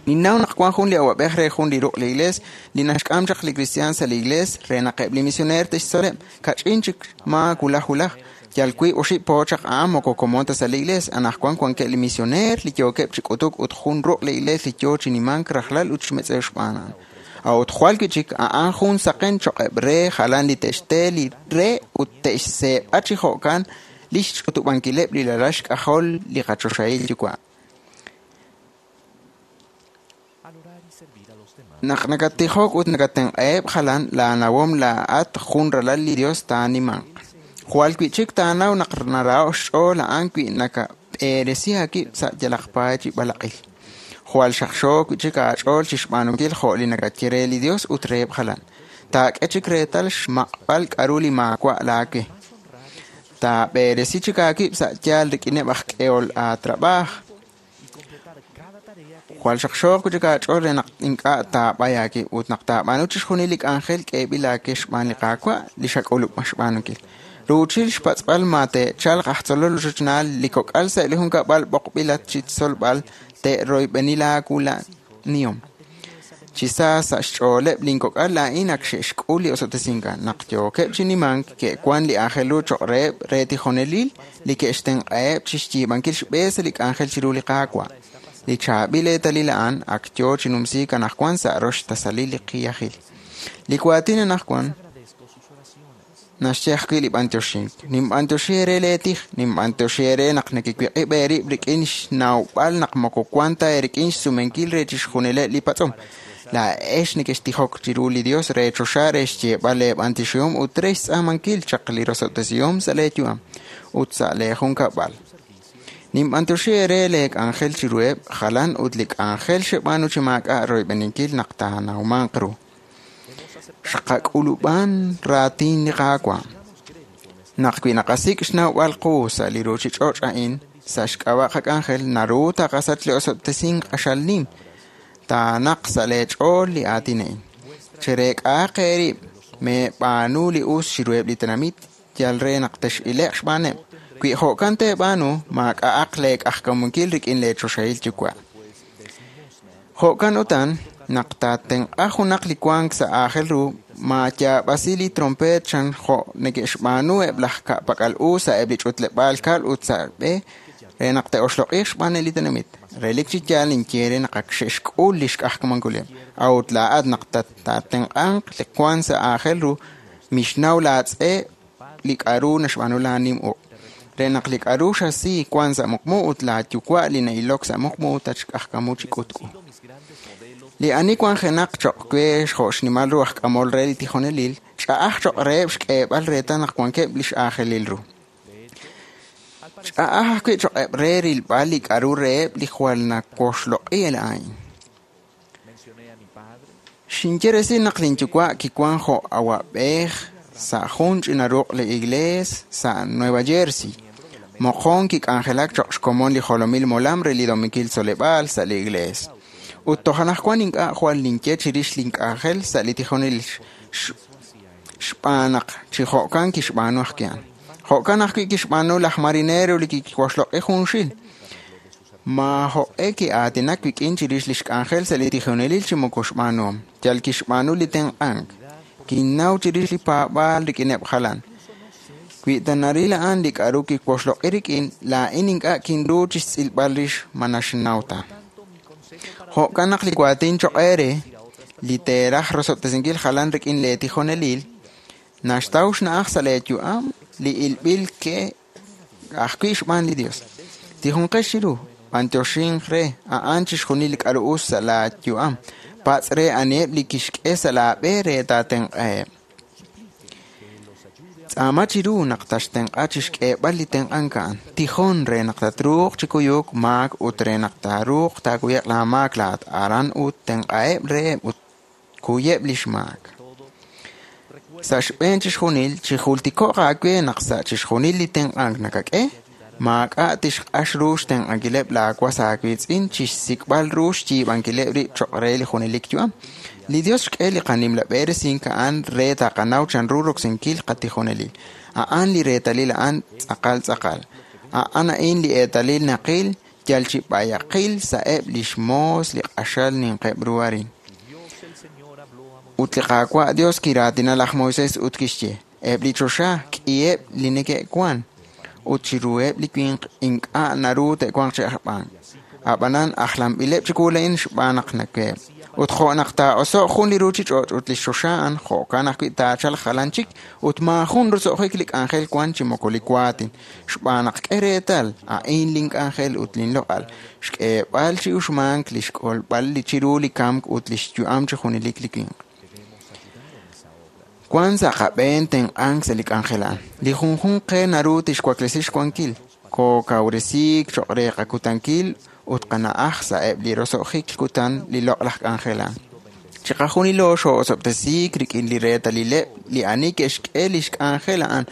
[SPEAKER 15] Ninnaw naq wan jun li awa'b'ej re jun li ruq' li Iglees li naxk'am chaq li kristiaan sa' li Iglees re naq eb' li misioneer te'xtzoleb' kach'in chik maa wulaj wulaj. Yal wiib' oxib' po chaq a'an moko komon ta sa' li Iglees. Anaqwan wankeb' li misioneer li yookeb' chi k'utuk ut jun ruq' li Iglees li yoo chi nimank rajlal ut xmetz'ew xb'aan a'an. A'ut jwal wi' chik a'an jun saqen choq'eb' re jalan li te'xte li re ut te'xseeb'a chi jo'kan lix ch'utub'ankileb' li ralal xk'ajol li qachoxahil yuwa'. Naq nakattijok ut nakatenq'aheb' jalan, laanawom laa'at jun ralal li Dios taanimanq. Jwal wi' chik taanaw naq naraho' xch'ool a'an wi nakab'eresi aawib' sa' yalaq paay chi b'alaq'il. Jwal xaqxo wi' chik aach'ool chixb'aanunkil jo' li nakaye re li Dios ut reheb' jalan. Taak'e chik reetal xmaq'b'al k'a'ru li maawa' laawe. Taab'eresi chik aawib' sa' yaal rik'ineb' aj k'ehol aatrab'aaj. Jwal xaqxooq wi' chik aach'ool re naq ink'a' taab'ay aawib' ut naq taab'aanu chixjunil li k'anjel k'eeb'il aawe xb'aan li Qaawa' li xak'ulub' xb'aanunkil. Ruuchil xpatz'b'al ma te'chalq aj tzolol ochochnaal li kok'al sa' li junkab'al b'oqb'ilat chi tzolb'al te'royb'eni laawula'nihom. Chi sa sa' xch'ooleb' linkok'al laa'in ak xe'xk'ul li osob'tesink a'an. Naq yookeb' chi nimank ke'wan li aajel ru choq' reheb' re tijonelil li ke'xtenq'aheb' chixyiib'ankil xb'e sa' li k'anjel chiru li Qaawa'. Li chaab'il eetalil a'an ak yoo chi numsiik anaqwan sa' rox tasalil li qiyajil. Li waatin anaqwan naxye ajwi' li b'antioxink. Ninb'antioxi eere leetij, ninb'antioxi eere naq nekewiq'ib' eerib' rik'in xnawb'al naq moko wan ta eerik'in xsumenkil re chixjunileb' li patz'om. Laa'ex nekextijok chiru li Dios re choxa re xyeeb'al leeb'antioxihom ut re xtz'aamankil chaq li rosob'tesihom sa' leeyu'am ut sa' leejunkab'al. Ninb'antioxi eere leek'anjel chiruheb' jalan ut li k'anjel xeb'aanu chi maak'a' royb'eninkil naq taanawmanq ru. Xqak'ulub'an raatin li Qaawa'. Naq wi naqasik' xnawb'al qu sa' li ruchich'och' a'in, sa' xk'ab'a' qak'anjel, naru taqasach li osob'tesink q'axal nim, taanaq sa' leech'ool li aatin a'in. Chereek'ahaq eerib', meeb'aanu li us chiruheb' li tenamit, yal re naq tex'ile'q xb'aaneb'. Wi jo'kan teeb'aanu, maak'a'aq leek'ajkamunkil rik'in leechoxahil yuwa'. Jo'kan utan, naq taatenq'a junaq li wank sa' aajel ru, maayaab'asi li trompeet chan jo' neke'xb'aanu eb' laj ka'pak'al u sa' eb' li ch'utleb'aal kab'l ut sa' b'e re naq te'oxloq'iiq xb'aan li tenamit. Relik chi yaal ninye re naq ak xe'xk'ul li xk'ajkamankuleb'. A'ut laa'at naq taatenq'anq li wank sa' aajel ru, mixnaw laatz'e li k'a'ru naxb'aanu laanim uq'. Re naq li k'a'ru xasi wank sa' muqmu ut laayuwa' li na'ilok sa' muqmu tatxk'ajkamu chi k'utk'u. Li ani wanjenaq choq' we jo' xnimal ru aj k'amol re li tijonelil, ch'a'aj choq' reheb' xk'eeb'al reetal naq wankeb' lix aajelil ru. Ch'a'aj ajwi' choq'eb' re rilb'al li k'a'ru reheb' li jwal nawoxloq'i a'in. Xinye resil naq linyuwa' kiwank jo' awab'ej sa' jun ch'ina ruq' li iglees sa' Nueva Jersey. Moqon kik'anjelak cho'q xkomon li jolomil molam re li Dominkil Tzoleb'aal sa' li iglees. Ut toj anaqwan ink'a' jwal ninye chirix link'anjel sa' li tijonelil xb'aan naq chi jo'kan kixb'aanu ajwi' a'an. Jo'kan ajwi' kixb'aanu laj marinero li kiwoxloq'i junxil. Maajoq'e ki'aatinak wik'in chirix li xk'anjel sa' li tijonelil chi moko xb'aanuhom, yal kixb'aanu li tenq'ank. Kinnaw chirix li paab'aal rik'ineb' jalan. Wi ta naril a'an li k'aru kiwoxloq'i rik'in, laa'in ink'a' kinru chi xtz'ilb'al rix ma naxnaw ta. Jo'kan naq li waatin cho'q eere, li teeraj rosob'tesinkil jalan rik'in leetijonelil, naxtaw xna'aj sa' leeyu'am li ilb'il ke ajwi' xb'aan li Dios. Tijunqex chiru, b'antioxinq re a'an chixjunil li k'aru us sa' laayu'am, patz' re aniheb' li kixk'e sa' laab'e re taatenq'aheb'. Tz'aama chiru naq taxtenq'a chi xk'eeb'al li tenq'ank a'an. Tijon re naq tatruuq chi kuyuk maak ut re naq taaruuq taakuye'q laamaak laa'at aran ut tenq'aheb' reheb' ut kuyeb' li xmaak. Sa' xb'een chixjunil, chijultiko'q aawe naq sa' chixjunil li tenq'ank nakak'e, maak'a' tixq'ax ru xtenq'ankileb' laawas aawiitz'in chi xsik'b'al ru xyiib'ankileb' rib' cho'q re li junelik yu'am. Li Dios xk'e li qanimla b'eresink a'an re taqanaw chanru roksinkil qatijonelil. A'an li reetalil a'an tz'aqal tz'aqal. A'an a'in li eetalil naqil yal chi b'ayaqil sa'eb' li xmoos li q'axal ninqeb' ru arin. Ut li Qaawa' Dios kiraatina laj Moisés ut kixye: Eb' li choxa k'iheb' li neke'wank, ut chiruheb' li winq ink'a' naru te'wanq chi ajb'an. Ab'anan ajlanb'ileb' chiwu laa'in xb'aan naq naweb'. Ut jo' naq taa'oso'q jun li ruuchich'och' ut li xchoxa a'an, jo'kan ajwi' taachalq jalan chik ut maajun roso'jik li k'anjel wank chi moko li waatin. Xb'aan naq k'e reetal, a'in link'anjel ut linloq'al, xk'eeb'al chi uxmank li xk'olb'al li chiru li kamk ut li xyu'am chi junelik li winq. Wank sa' qab'een tenq'ank sa' li k'anjel a'an. Li junjunq qe naru tixwaklesi xwankil, kookawresiik cho'q re qakutankil ut qana'aj sa'eb' li roso'jik kutan li loq'laj k'anjel a'an. Chiqajunilo xoo'osob'tesiik rik'in li reetalileb' li ani ke'xk'e li xk'anjel a'an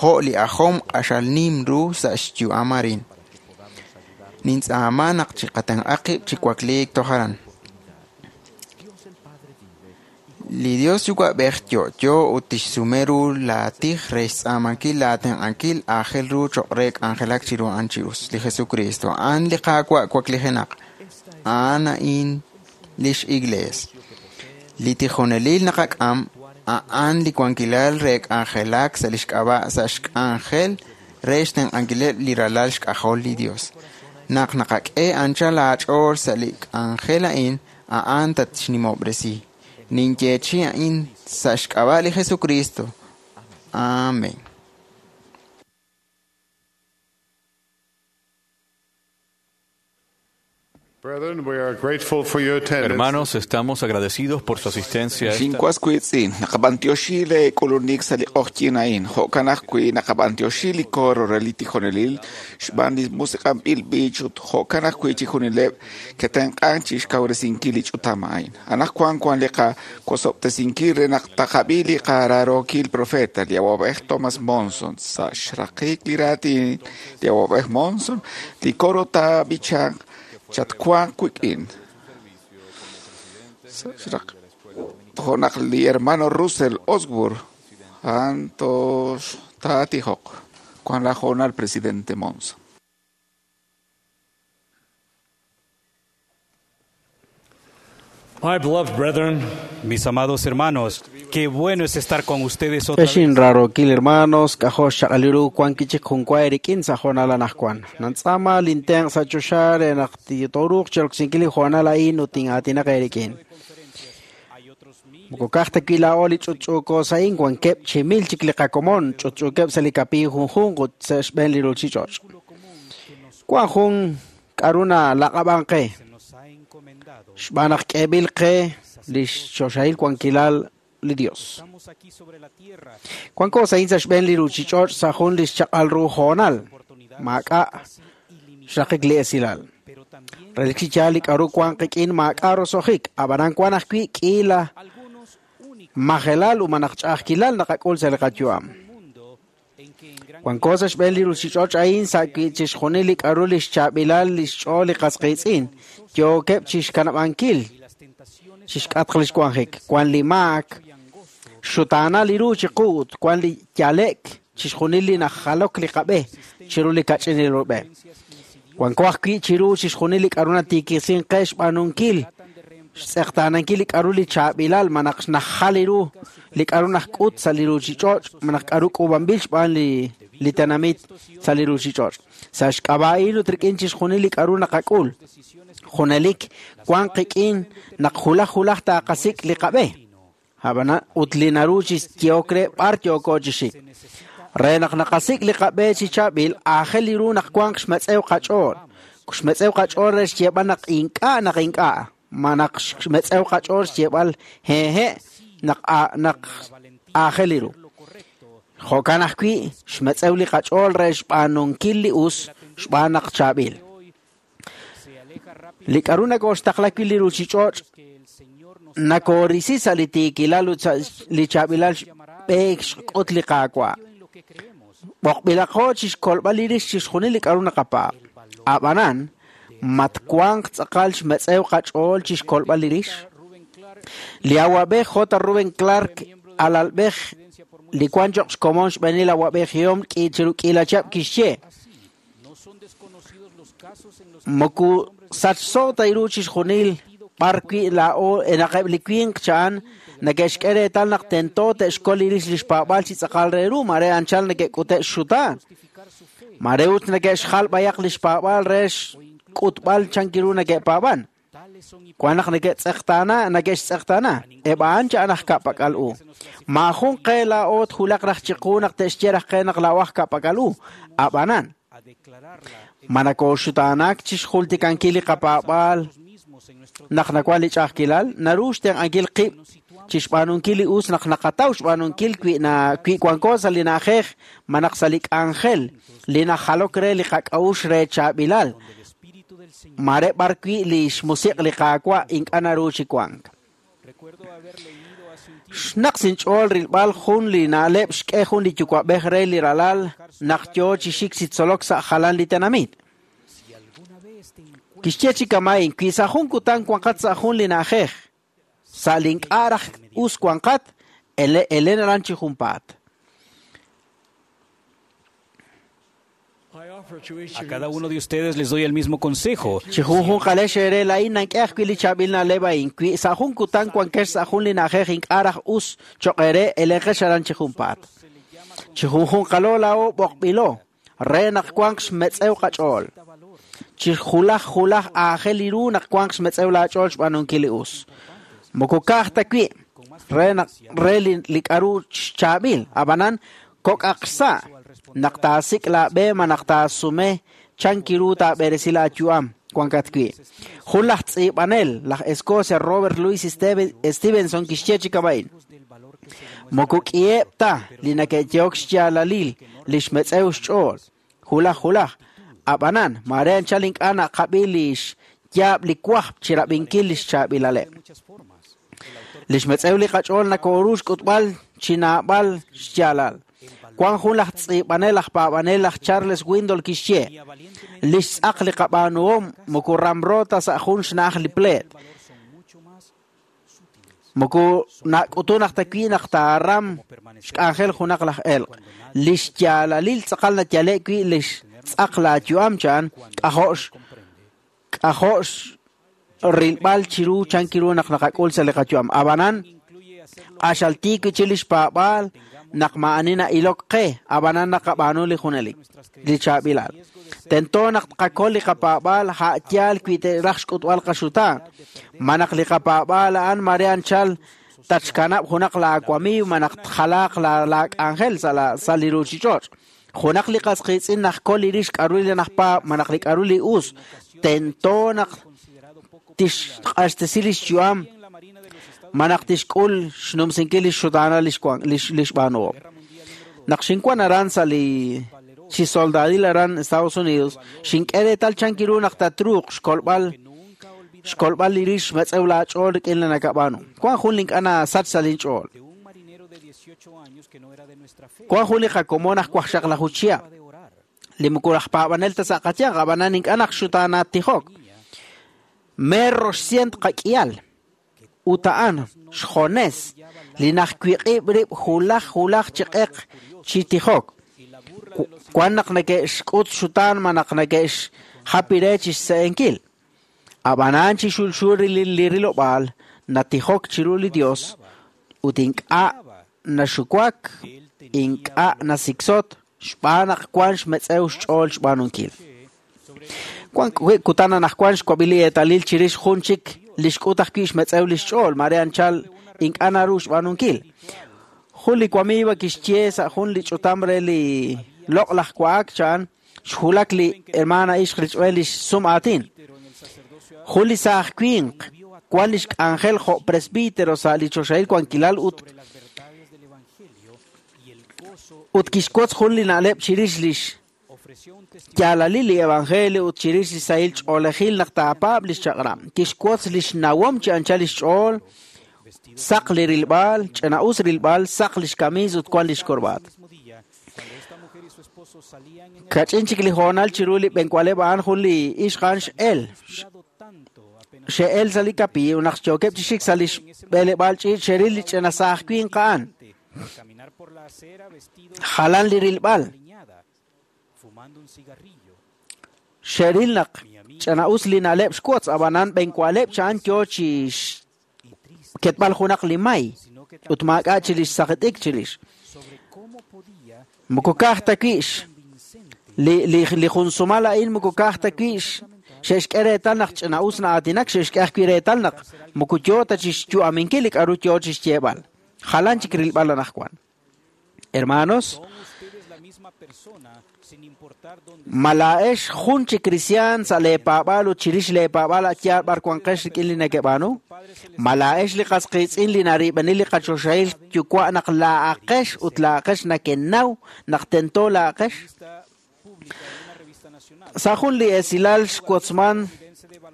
[SPEAKER 15] jo' li ajom q'axal nim ru sa' xyu'am arin. Nintz'aama naq chiqatenq'a qib' chi wakliik toj aran. Li Dios Yuwa'b'ej yo'yo ut tixsume ru laatij re xtz'aamankil laatenq'ankil aajel ru cho'q re k'anjelak chiru a'an chi us. Li Jesucristo, a'an li Qaawa' waklijenaq. A'an a'in lix Iglees. Li tijonelil naqak'am a'an li wankilal re k'anjelak sa' lix k'ab'a' sa' xk'anjel re xtenq'ankileb' li ralal xk'ajol li Dios. Naq naqak'e anchal aach'ool sa' li k'anjel a'in, a'an tatxnimob'resi. Ninyeechi a'in sa' xk'ab'a' li Jesucristo. Amén.
[SPEAKER 10] Brethren, we are grateful for your attendance.
[SPEAKER 2] Hermanos, estamos agradecidos por su asistencia. a esta-
[SPEAKER 3] Xinwas wiitz'in, naqab'antioxi le k'ulunik sa' li q'oqyin a'in, jo'kan ajwi' naqab'antioxi li coro re li tijonelil, xb'aan li musiq'anb'il b'ich ut jo'kan ajwi' chijunileb' ketenq'an chi xkawresinkil li ch'utam a'in. Anaqwan wan li qawosob'tesinkil re naq taqab'i li qaraarookil profeta, li awab'ej Thomas Monson. Sa' xraqik li raatin li awab'ej Monson, li coro taab'ichanq chatwanq wik'in. Sa' xraq- jo' naq li hermano Russell Osborne a'an tox taatijoq wan la hoonal presidente Monson.
[SPEAKER 8] My beloved brethren,
[SPEAKER 6] Mis amados hermanos, qué bueno es estar con ustedes otra vez.
[SPEAKER 16] Exin rarookil hermanos, k'ajo' xchaq'al ru wan kichik junwa erikin sa' hoonal anaqwan. Nantz'aama lintenq' sa' choxa re naq tooruuq chi roksinkil li hoonal a'in ut tin'aatinaq erikin. Moko kaj ta wi laa'o li ch'utch'uuko sa'in wankeb' chi mil chik li qakomon ch'utch'uukeb' sa' li kapiiy junjunq ut sa' xb'een li ruuchich'och'. Wan jun k'aru nalaq'ab'an qe xb'aan naq k'eeb'il qe li xchoxahil wankilal li Dios. Wanko sa'in sa' xb'een li ruuchich'och' sa' jun li xchaq'al ru hoonal. Maak'a' xraqik li esilal. Relik chi yaal li k'aru wank qik'in maak'a' roso'jik, ab'anan wank ajwi' k'iila majelal ut malaj ch'a'ajkilal naqak'ul sa' li qayu'am. Wanko sa' xb'een li ruuchich'och' a'in sa' wi' chixjunil li k'aru li xchaab'ilal li xch'ool li qas qiitz'in yookeb' chixkanab'ankil chixk'atq li xwanjik. Wank li maak, xutaanal li ru chiqu ut wank li yale'k chixjunil li najalok li qab'e chiru li kach'inil ru b'e. Wanko ajwi' chiru chixjunil li k'aru natiikisink qe xb'aanunkil xtz'eqtaanankil li k'aru li chaab'ilal malaj xnajal li ru li k'aru najk'ut sa' li ruuchich'och' malaj k'aru k'uub'anb'il xb'aan li tenamit sa' li ruuchich'och'. Sa' xk'ab'a'il ut rik'in chixjunil li k'aru naqak'ul, junelik wank qik'in naq julaj julaj taaqasik' li qab'e. Ab'anan ut li naru chi yehok re b'ar yooko chi xik. Re naq naqasik' li qab'e chi chaab'il, aajel li ru naq wanq xmetz'ew qach'ool. Xmetz'ew qach'ool re xyeeb'al naq ink'a' naq ink'a', ma naq xmetz'ew qach'ool xyeeb'al hehe' naq naq aajel li ru. Jo'kan ajwi' xmetz'ew li qach'ool re xb'aanunkil li us xb'aan naq chaab'il. Li k'aru nakooxtaqla wi' li ruuchich'och' nakoorisi sa' li tiikilal ut sa' li chaab'ilal xb'eek xk'ut li Qaawa'. B'oqb'ilaqo chixkolb'al li rix chixjunil li k'aru naqapaab'. Ab'anan, matwanq tz'aqal xmetz'ew qach'ool chixkolb'al li rix. Li awab'ej J. Reuben Clark alalb'ej li wank cho'q xkomon xb'eenil awab'ejihom chiru k'iila chihab' kixye: Moko sachso ta ru chixjunil b'ar wi' laa'o naqeb' li winq cha'an neke'xk'e reetal naq tento te'xkol li rix li xpaab'aal chi tz'aqal re ru, mare anchal neke'k'ute' xxutaan. Mare ut neke'xjal b'ayaq li xpaab'aal re xk'utb'al chankiru neke'paab'an. Wank naq neke'tz'eqtaana, neke'xtz'eqtaana. Eb' a'an cha'an aj ka'pak'al u. Maajun qe laa'o twulaq raj chiqu naq te'xye raj qe naq laa'o aj ka'pak'al u. Ab'anan, ma nakooxutaanak chi xjultikankil li qapaab'aal naq nawank li ch'a'ajkilal, naru xtenq'ankil qib' chi xb'aanunkil li us naq naqataw xb'aanunkil wi wanko sa' li na'ajej malaj sa' li k'anjel li najalok re li qak'a'uxl re chaab'ilal, mare b'ar wi' li xmusiq' li Qaawa' ink'a' naru chi wank. Xnaq sinch'ool rilb'al jun li na'leb' xk'e jun li yuwa'b'ej re li ralal naq yo chi xik chi tzolok sa' jalan li tenamit. Kixye chi kama'in, wi sa' jun kutan wanqat sa' jun li na'ajej, sa' li ink'a' raj us wanqat, elen aran chi junpaat.
[SPEAKER 6] A cada uno de ustedes les doy el mismo consejo.
[SPEAKER 16] Chi junjunqalex eere laa'in nank'e ajwi' li chaab'il na'leb' a'in, wi sa' jun kutan wankex sa' jun li na'ajej ink'a' raj us cho'q eere, elenqex aran chi junpaat. Chi junjunqalo laa'o b'oqb'ilo re naq wanq xmetz'ew qach'ool. Chi julaj julaj aajel li ru naq wanq xmetz'ew laach'ool xb'aanunkil li us. Moko ka'aj ta wi' re naq re li k'aru xchaab'il, ab'anan kok'aq xsa' naq taasik' laab'e ma naq taasume chankiru taab'eresi laayu'am wankat wi'. Jun laj tz'iib'anel, laj Escocia Robert Louis Stevenson kixye chi kama'in: Moko k'iheb' ta li neke'yehok xyaalalil li xmetz'ew xch'ool, julaj julaj. Ab'anan, mare anchal ink'a' naqab'i li xyaab' li wajb' chi rab'inkil li xchaab'ilaleb'. Li xmetz'ew li qach'ool nakooru xk'utb'al chi naab'al xyaalal. Wank jun laj tz'iib'anel aj paab'anel laj Charles Windle kixye: Li xtz'aq li qab'aanuhom moko ramro ta sa' jun xna'aj li pleet. Moko nak'utun aj ta wi' naq taaram xk'anjel junaq laj elq'. Li xyaalalil tz'aqal nayale' wi' li xtz'aq laayu'am cha'an k'ajo' rilb'al chiru chankiru naq naqak'ul sa' li qayu'am. Ab'anan, q'axal tiik wi' chi li xpaab'aal naq maa'ani na'ilok qe, ab'anan naqab'aanu li junelik, li chaab'ilal. Tento naq tqakol li qapaab'aal a' yaal wi' te'raj xk'utb'al qaxutaan. Ma naq li qapaab'aal a'an mare anchal tatxkanab' junaq laawamiiw ma naq tjalaaq laak'anjel sa' li ruuchich'och'. Junaq li qas qiitz'in najkol li rix k'aru li najpaab' ma naq li k'aru li us, tento naq tixq'axtesi li xyu'am ma naq tixk'ul xnumsinkil li xxutaanal li xb'aanuhom. Naq xinwan aran sa' li chi soldadil aran Estados Unidos, xink'e reetal chan kiru naq tatruuq xkolb'al li rix xmetz'ew laach'ool rik'in li nakab'aanu. Wan jun li ink'a' nasach sa' linch'ool. Wan jun li qakomon aj waqxaqlaju chihab', li moko laj paab'anel ta sa' qayanq, ab'anan ink'a' naq xutaanat tijok. Meer roxcient qak'ihal. Ut a'an xjones li najwiq'ib' rib' julaj julaj chi q'eq chi tijok. Wan naq neke'xk'ut xutaan ma naq neke'xjapi re chi xse'enkil. Ab'anan chi xulxul li rilob'aal natijok chiru li Dios ut ink'a' naxuwak, ink'a' nasiksot, xb'aan naq wan xmetz'ew xch'ool xb'aanunkil. Wan kutan anaqwan xwab'i li eetalil chirix jun chik li xk'ut ajwi' xmetz'ew li xch'ool, mare anchal ink'a' naru xb'aanunkil. Jun li wamiiwa kixye sa' jun li ch'utam re li loq'laj wa'ak chan xjulak li hermana ixq richb'een li xsum aatin. Jun li saaj winq wan li xk'anjel jo' presbítero sa' li choxahil wankilal ut kixwotz jun li na'leb' chirix lix yaalalil li evangelio ut chirix li sahil ch'oolejil naq taapaab' li xchaq'rab'. Kixwotz li xnawom chi anchal li xch'ool, saq li rilb'al, ch'ina'us rilb'al, saq li xkamiis ut wan li xkorbaat. Kach'in chik li hoonal chiru li b'enwaleb' a'an jun li ixq a'an x'el. Xe'el sa' li kapiiw naq xyookeb' chi xik sa' li xb'eleb'aal ch'iich' xeril li ch'ina saaj winq a'an. Jalan li rilb'al. Xeril naq ch'ina'us li na'leb' xwotz, ab'anan b'enwaleb' cha'an yo chi ketb'al junaq li may ut maak'a' chi lix saqit'ik chirix. Moko ka'aj ta wix li jun sumal a'in moko ka'aj ta wix xe'xk'e reetal naq ch'ina'us na'aatinak, xe'xk'e ajwi' reetal naq moko yo ta chi xyu'aminkil li k'aru yo chi xyeeb'al. Jalan chik rilb'al anaqwan. Hermanos, mala'ex jun chi cristian sa' leepaab'aal ut chirix leepaab'aal atyaal b'ar wanqex rik'in li nekeb'aanu. Mala'ex li qasqiitz'in li narib'enil li qachoxahil yuwa' naq laa'aqex ut laa'aqex nakenaw naq tento laa'aqex. Sa' jun li esilal xwotzman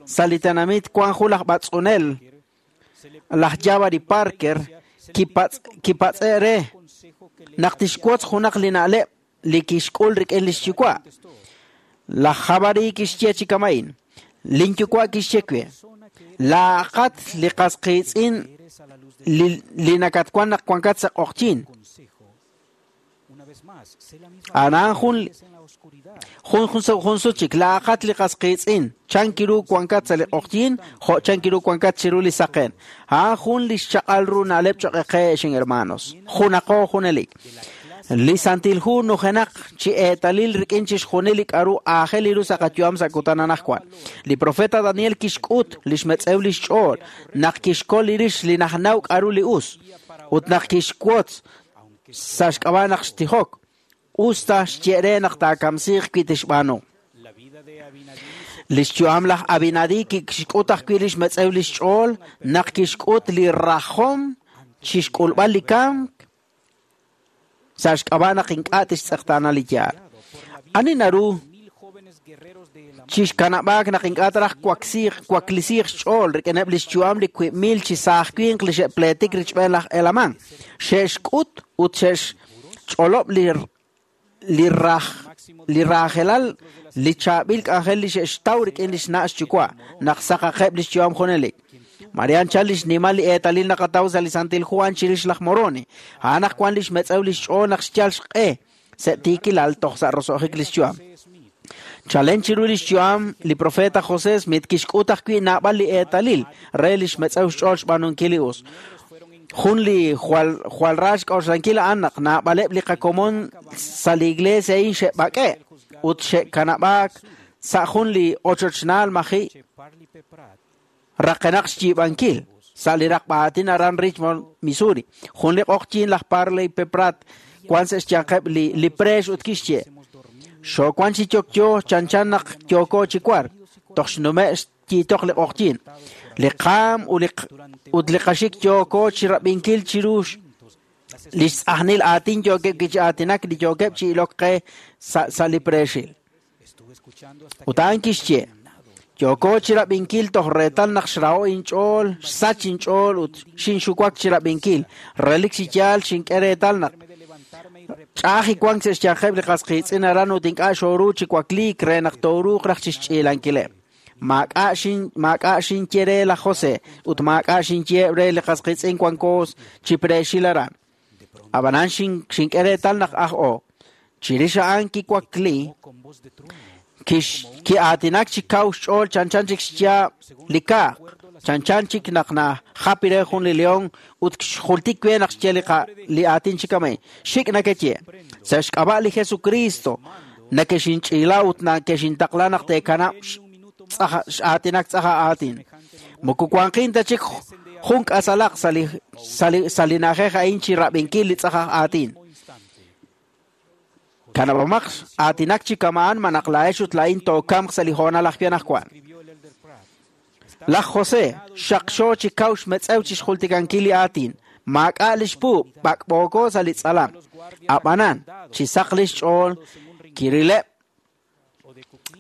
[SPEAKER 16] sa' li tenamit wan jun laj b'atz'unel, laj Jabari Parker, kipatz'e re naq tixwotz junaq li na'leb' li kixk'ul rik'in li xyuwa'. Laj Jabari kixye chi kama'in, linyuwa' kixye we, laaqat li qasqiitz'in li nakatwan naq wankat sa' q'oqyin. Anan jun sut chik, laaqat li qasqiitz'in, chan kiru wankat sa' li q'oqyin, jo' chan kiru wankat chiru li saqen. A'an jun li xchaq'al ru na'leb' cho'q qe hermanos. Junaqo junelik. Li Santil Hu nujenaq chi eetalil rik'in chixjunil li k'aru aajel li ru sa' qayu'am sa' kutan anaqwan. Li profeta Daniel kixk'ut li xmetz'ew li xch'ool naq kixkol li rix li najnaw k'aru li us ut naq kixwotz sa' xk'ab'a' naq xtijok usta xye re naq taakamsiiq wi tixb'aanu. Li xyu'am laj Abinadi kixk'ut ajwi' li xmetz'ew li xch'ool naq kixk'ut li rajom chixk'ulb'al li kamk sa' xk'ab'a' naq ink'a' tixtz'eqtaana li yaal. Ani naru chixkanab'aak naq ink'a' taraj waklisiiq xch'ool rik'ineb' li xyu'am li 1000 chi saaj winq li xe'pleetik richb'een laj Elamán. Xe'xk'ut ut xe'xch'olob' li raajelal li chaab'il k'anjel li xe'xtaw rik'in li xna' xyuwa' naq saqaqeb' li xyu'am junelik. Marian chal li xnimal li eetalil naqataw sa' li Santil Juan chirix laj Moroni. A'an naq wan li xmetz'ew li xch'ool naq xyal xq'e sa' tiikilal toj sa' roso'jik li xyu'am. Chalen chiru li xyu'am li profeta José Smith kixk'ut ajwi' naab'al li eetalil re li xmetz'ew xch'ool xb'aanunkil li us. Jun li jwal ra xk'oxlankil a'an naq naab'aleb' li qakomon sa' li iglesia a'in xe'b'ak'e' ut xe'kanab'aak sa' jun li ochochnaal maji' raqenaq xyiib'ankil sa' li raqb'aatin aran Richmond, Missouri. Jun li q'oqyin laj Parley P. Pratt wan sa' xyanqeb' li preex ut kixye, Xoowan chi yokyo chanchan naq yooko chi war, toj xnume' xyiitoq li q'oqyin. Li qaam ut li qaxik yooko chi rab'inkil chiru Li xtz'ajnil aatin yookeb' chi aatinak li yookeb' chi ilok qe sa' li preexil. Ut a'an kixye, yooko chi rab'inkil toj reetal naq xraho inch'ool, xsach inch'ool ut xinxuwak chi rab'inkil. Relik chi yaal xink'e reetal naq ch'a'aj wank sa' xyanqeb' li qas qiitz'in aran ut ink'a' xooru chi wakliik re naq tooruuq raj chi xch'iilankileb'. Maak'a' xinye re laj José ut maak'a' xinye re li qas qiitz'in wanko chi preexil aran. Ab'anan xink'e reetal naq aj-o. Chirix a'an kiwakli, ki'aatinak chi kaw xch'ool chanchan chik xyaab' li kaaq, chanchan chik naq najapi re jun li león ut xjultik we naq xye li aatin chi kamay. Xik' nakeye, sa' xk'ab'a' li Jesucristo nakexinch'iila ut nakexintaqla naq teekanab' x'aatinak tz'aja aatin. Moko wanqin ta chik jun k'asalaq sa' li na'ajej a'in chi rab'inkil li tz'ajaj aatin. Kanab'amaq aatinak chi kama'an manaq laa'ex ut laa'in tookamq sa' li hoonal ajwi' anaqwan. Laj José xaqxo chi kaw xmetz'ew chi xjultikankil li aatin. Maak'a' li xpuub' b'ak'b'ooko sa' li tz'alam. Ab'anan, chi saq li xch'ool kirileb'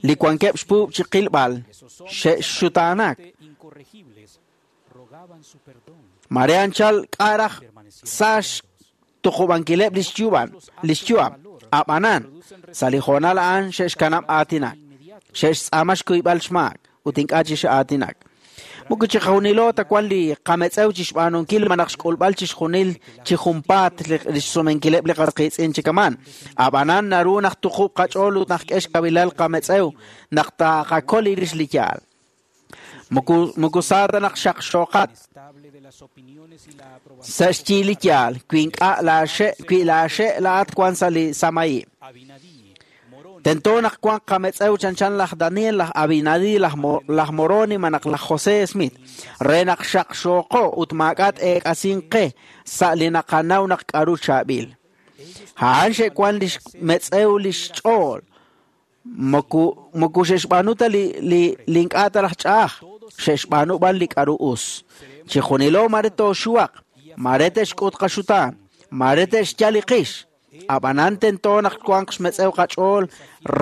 [SPEAKER 16] li wankeb' xpuub' chi qilb'al xe'xxutaanak. Mare anchal k'a' raj sa' xtuqub'ankileb' li xyu'am. Ab'anan, sa' li hoonal a'an xe'xkanab' aatinak. Xe'xtz'aama xkuyb'al xmaak ut ink'a' chi x'aatinak. Moko chi qajunilo ta wan li qametz'ew chi xb'aanunkil malaj xk'ulb'al chi xjunil chi junpaat li xsumenkileb' li qas qiitz'in chi kaman. Ab'anan naru naq tuqub' qach'ool ut naq k'e xkawilal qametz'ew naq taqakol rix li yaal. Moko sa ta naq xaqxoqat sa' xyi li yaal wi ink'a' laaxe' laa'at wan sa' li samayi'. Tento naq wanq qametz'ew chanchan laj Daniel, laj Abinadi, laj Moroni malaj laj José Smith re naq xaqxooqo ut maak'a' t-eek'asin qe sa' li naqanaw naq k'aru chaab'il. A'an xe'wan li xmetz'ew li xch'ool. Moko xe'xb'aanu ta li ink'a' ta raj ch'a'aj, xe'xb'aanu b'an li k'aru us. Chi junilo mare tooxuwaq, mare te'xk'ut qaxutaan, mare te'xyal li qix. Ab'anan tento naq wanq xmetz'ew qach'ool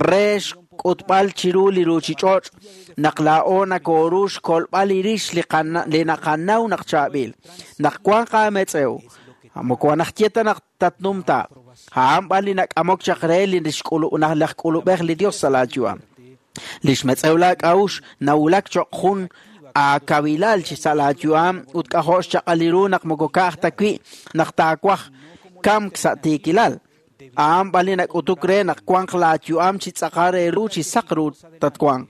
[SPEAKER 16] re xk'utb'al chiru li ruuchich'och' naq laa'o nakooru xkolb'al li rix li naqanaw naq chaab'il. Naq wanq aametz'ew, moko naxye ta naq tatnumta. A'an b'an li nak'amok chaq re li laj k'ulub'ej li Dios sa' laayu'am. Li xmetz'ew laak'a'uxl nawulak cho'q jun aakawilal chi sa' laayu'am ut k'ajo' xchaq'al ru naq moko ka'aj ta wi' naq taawaj kamk sa' tiikilal. A'an b'an li nak'utuk re naq wanq laayu'am chi tz'aqal re ru chi saq ru tatwanq.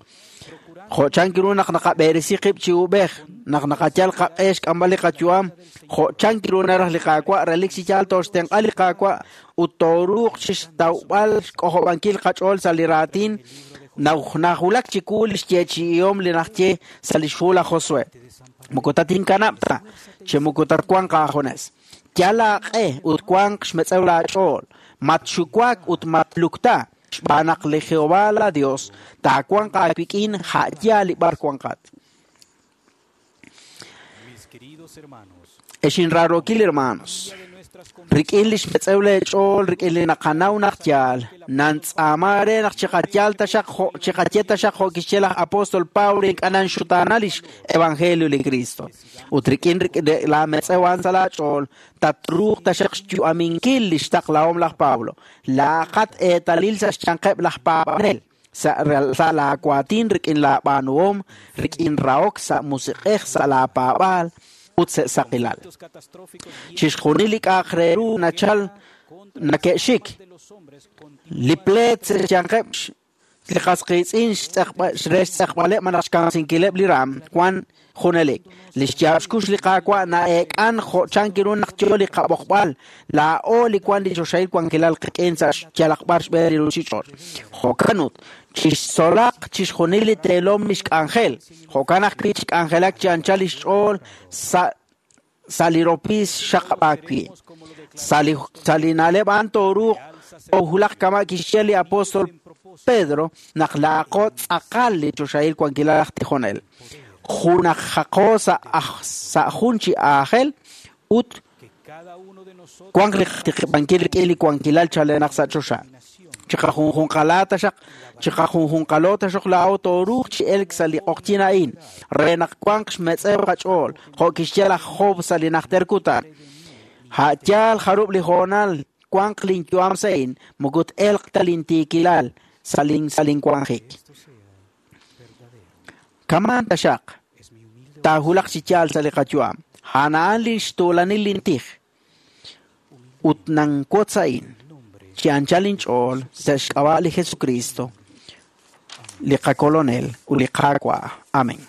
[SPEAKER 16] Jo' chank ru naq naqab'eresi qib' chi ub'ej, naq naqayal qaq'e xk'amb'al li qayu'am, jo' chank ru naraj li Qaawa' relik chi yaal tooxtenq'a li Qaawa' ut tooruuq chi xtawb'al xk'ojob'ankil qach'ool sa' li raatin najulak chiwu li xyeechi'ihom li naxye sa' li xhu laj Josué. Moko tatinkanab' ta, chi moko tatwanq aajunes. Yal aaq'e ut wanq xmetz'ew laach'ool, matxuwak ut matlukta, xb'aan naq li Jehová la Dios taawanq aawik'in ja'yaal li b'ar wanqat. Ex inraarokil hermanos, rik'in li xmetz'ew leech'ool, rik'in li naqanaw naq yaal, nantz'aama re naq chiqayal taxaq chiqaye taxaq jo' kixye laj apóstol Pablo ink'a' nanxutaana lix evangelio li Cristo. Ut rik'in laametz'ew a'an sa' laach'ool, tatruuq taxaq xyu'aminkil li xtaqlahom laj Pablo. Laaqat eetalil sa' xyanqeb' laj paab'anel, sa' laawaatin rik'in laab'aanuhom, rik'in rahok sa' musiq'ej sa' laapaab'aal ut sa' saqilal. Chixjunil li k'a'aq re ru nachal nake'xik. Li pleet sa' xyanqeb' li qas qiitz'in re xtz'eqb'aleb' malaj xkamsinkileb' li ram wan junelik. Li xyaab' xkux li Qaawa' na'eek'an jo' chank ru naq yo li qab'oqb'al, laa'o li wan li choxahil wankilal qik'in sa' xyalaq b'ar xb'een li ruuchich'och'. Jo'kan ut, chixtzolaq chixjunil li teelom li xk'anjel, jo'kan ajwi' chi k'anjelak chi anchal li xch'ool sa' li ropiis xaqab'aak wi'. Sa' li na'leb' a'an tooruuq toowulaq kama' kixye li apóstol Pedro naq laaqo tz'aqal li choxahil wankilal aj tijonel. Junajaqo sa' jun chi aajel ut Wanq li tiqib'ankil rik'in li wankilal chalenaq sa' choxa. Chiqajunjunqala taxaq, chiqajunjunqalo taxaq laa'o tooruuq chi elk sa' li q'oqyin a'in, re naq wanq xmetz'ew qach'ool, jo' kixye laj Job sa' li najter kutan. A' yaal jarub' li hoonal wanq linyu'am sa' a'in, moko t-elq ta lintiikilal sa' linwanjik. Kamaan taxaq, taahulaq chi yaal sa' li qayu'am. A'an a'an lin xtuulanil lintij. Ut nanwotz a'in, chi anchal inch'ool sa' xk'ab'a' li Jesucristo, li qakolonel ut li Qaawa'. Amén.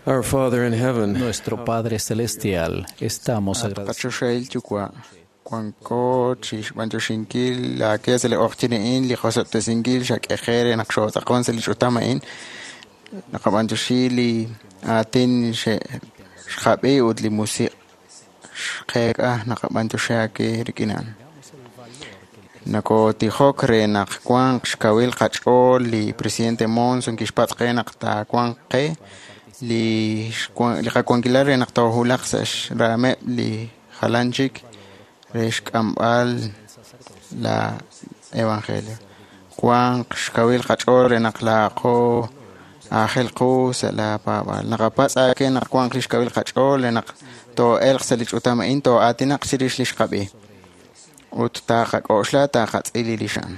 [SPEAKER 17] Our Father in heaven,
[SPEAKER 1] Nuestro Padre Celestial, estamos agradecidos.
[SPEAKER 15] Qachoxahil yuwa' wanko chi xb'anyoxinkil laake sa' li q'oqyin a'in li qosob'tesinkil xak'eje re naq xootz'aqon sa' li ch'utam a'in naqab'anyoxi li aatin xqab'i ut li musiq' xqeek'a naqab'anyoxi aake rik'in a'an. Nakotijok re naq wanq xkawil qach'ool li presidente Monson kixpatz' qe naq taawanq qe li qawankilal re naq toohulaq sa' xraameb' li jalan chik re xk'amb'al la evangelio. Wanq xkawil qach'ool re naq laaqo aajel qu sa' la paab'aal. Naqapatz' aake naq wanq li xkawil qach'ool re naq too'elq sa' li ch'utam a'in too'aatinaq chirix li xqab'i. Ut taqak'oxla taqatz'il li xan.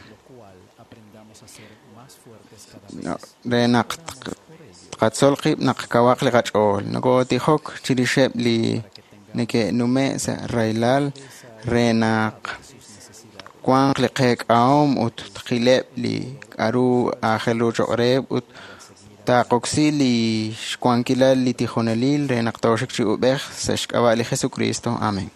[SPEAKER 15] Re naq tqatzol qib' naq kawaq li qach'ool. Nokotijok chirixeb' li neke'nume' sa' rahilal re naq wanq li qeek'ahom ut tqileb' li k'a'ru aajel ru choq' reheb' ut taqoksi li xwankilal li tijonelil re naq tooxik chi ub'ej sa' xk'ab'a' li Jesucristo. Amén.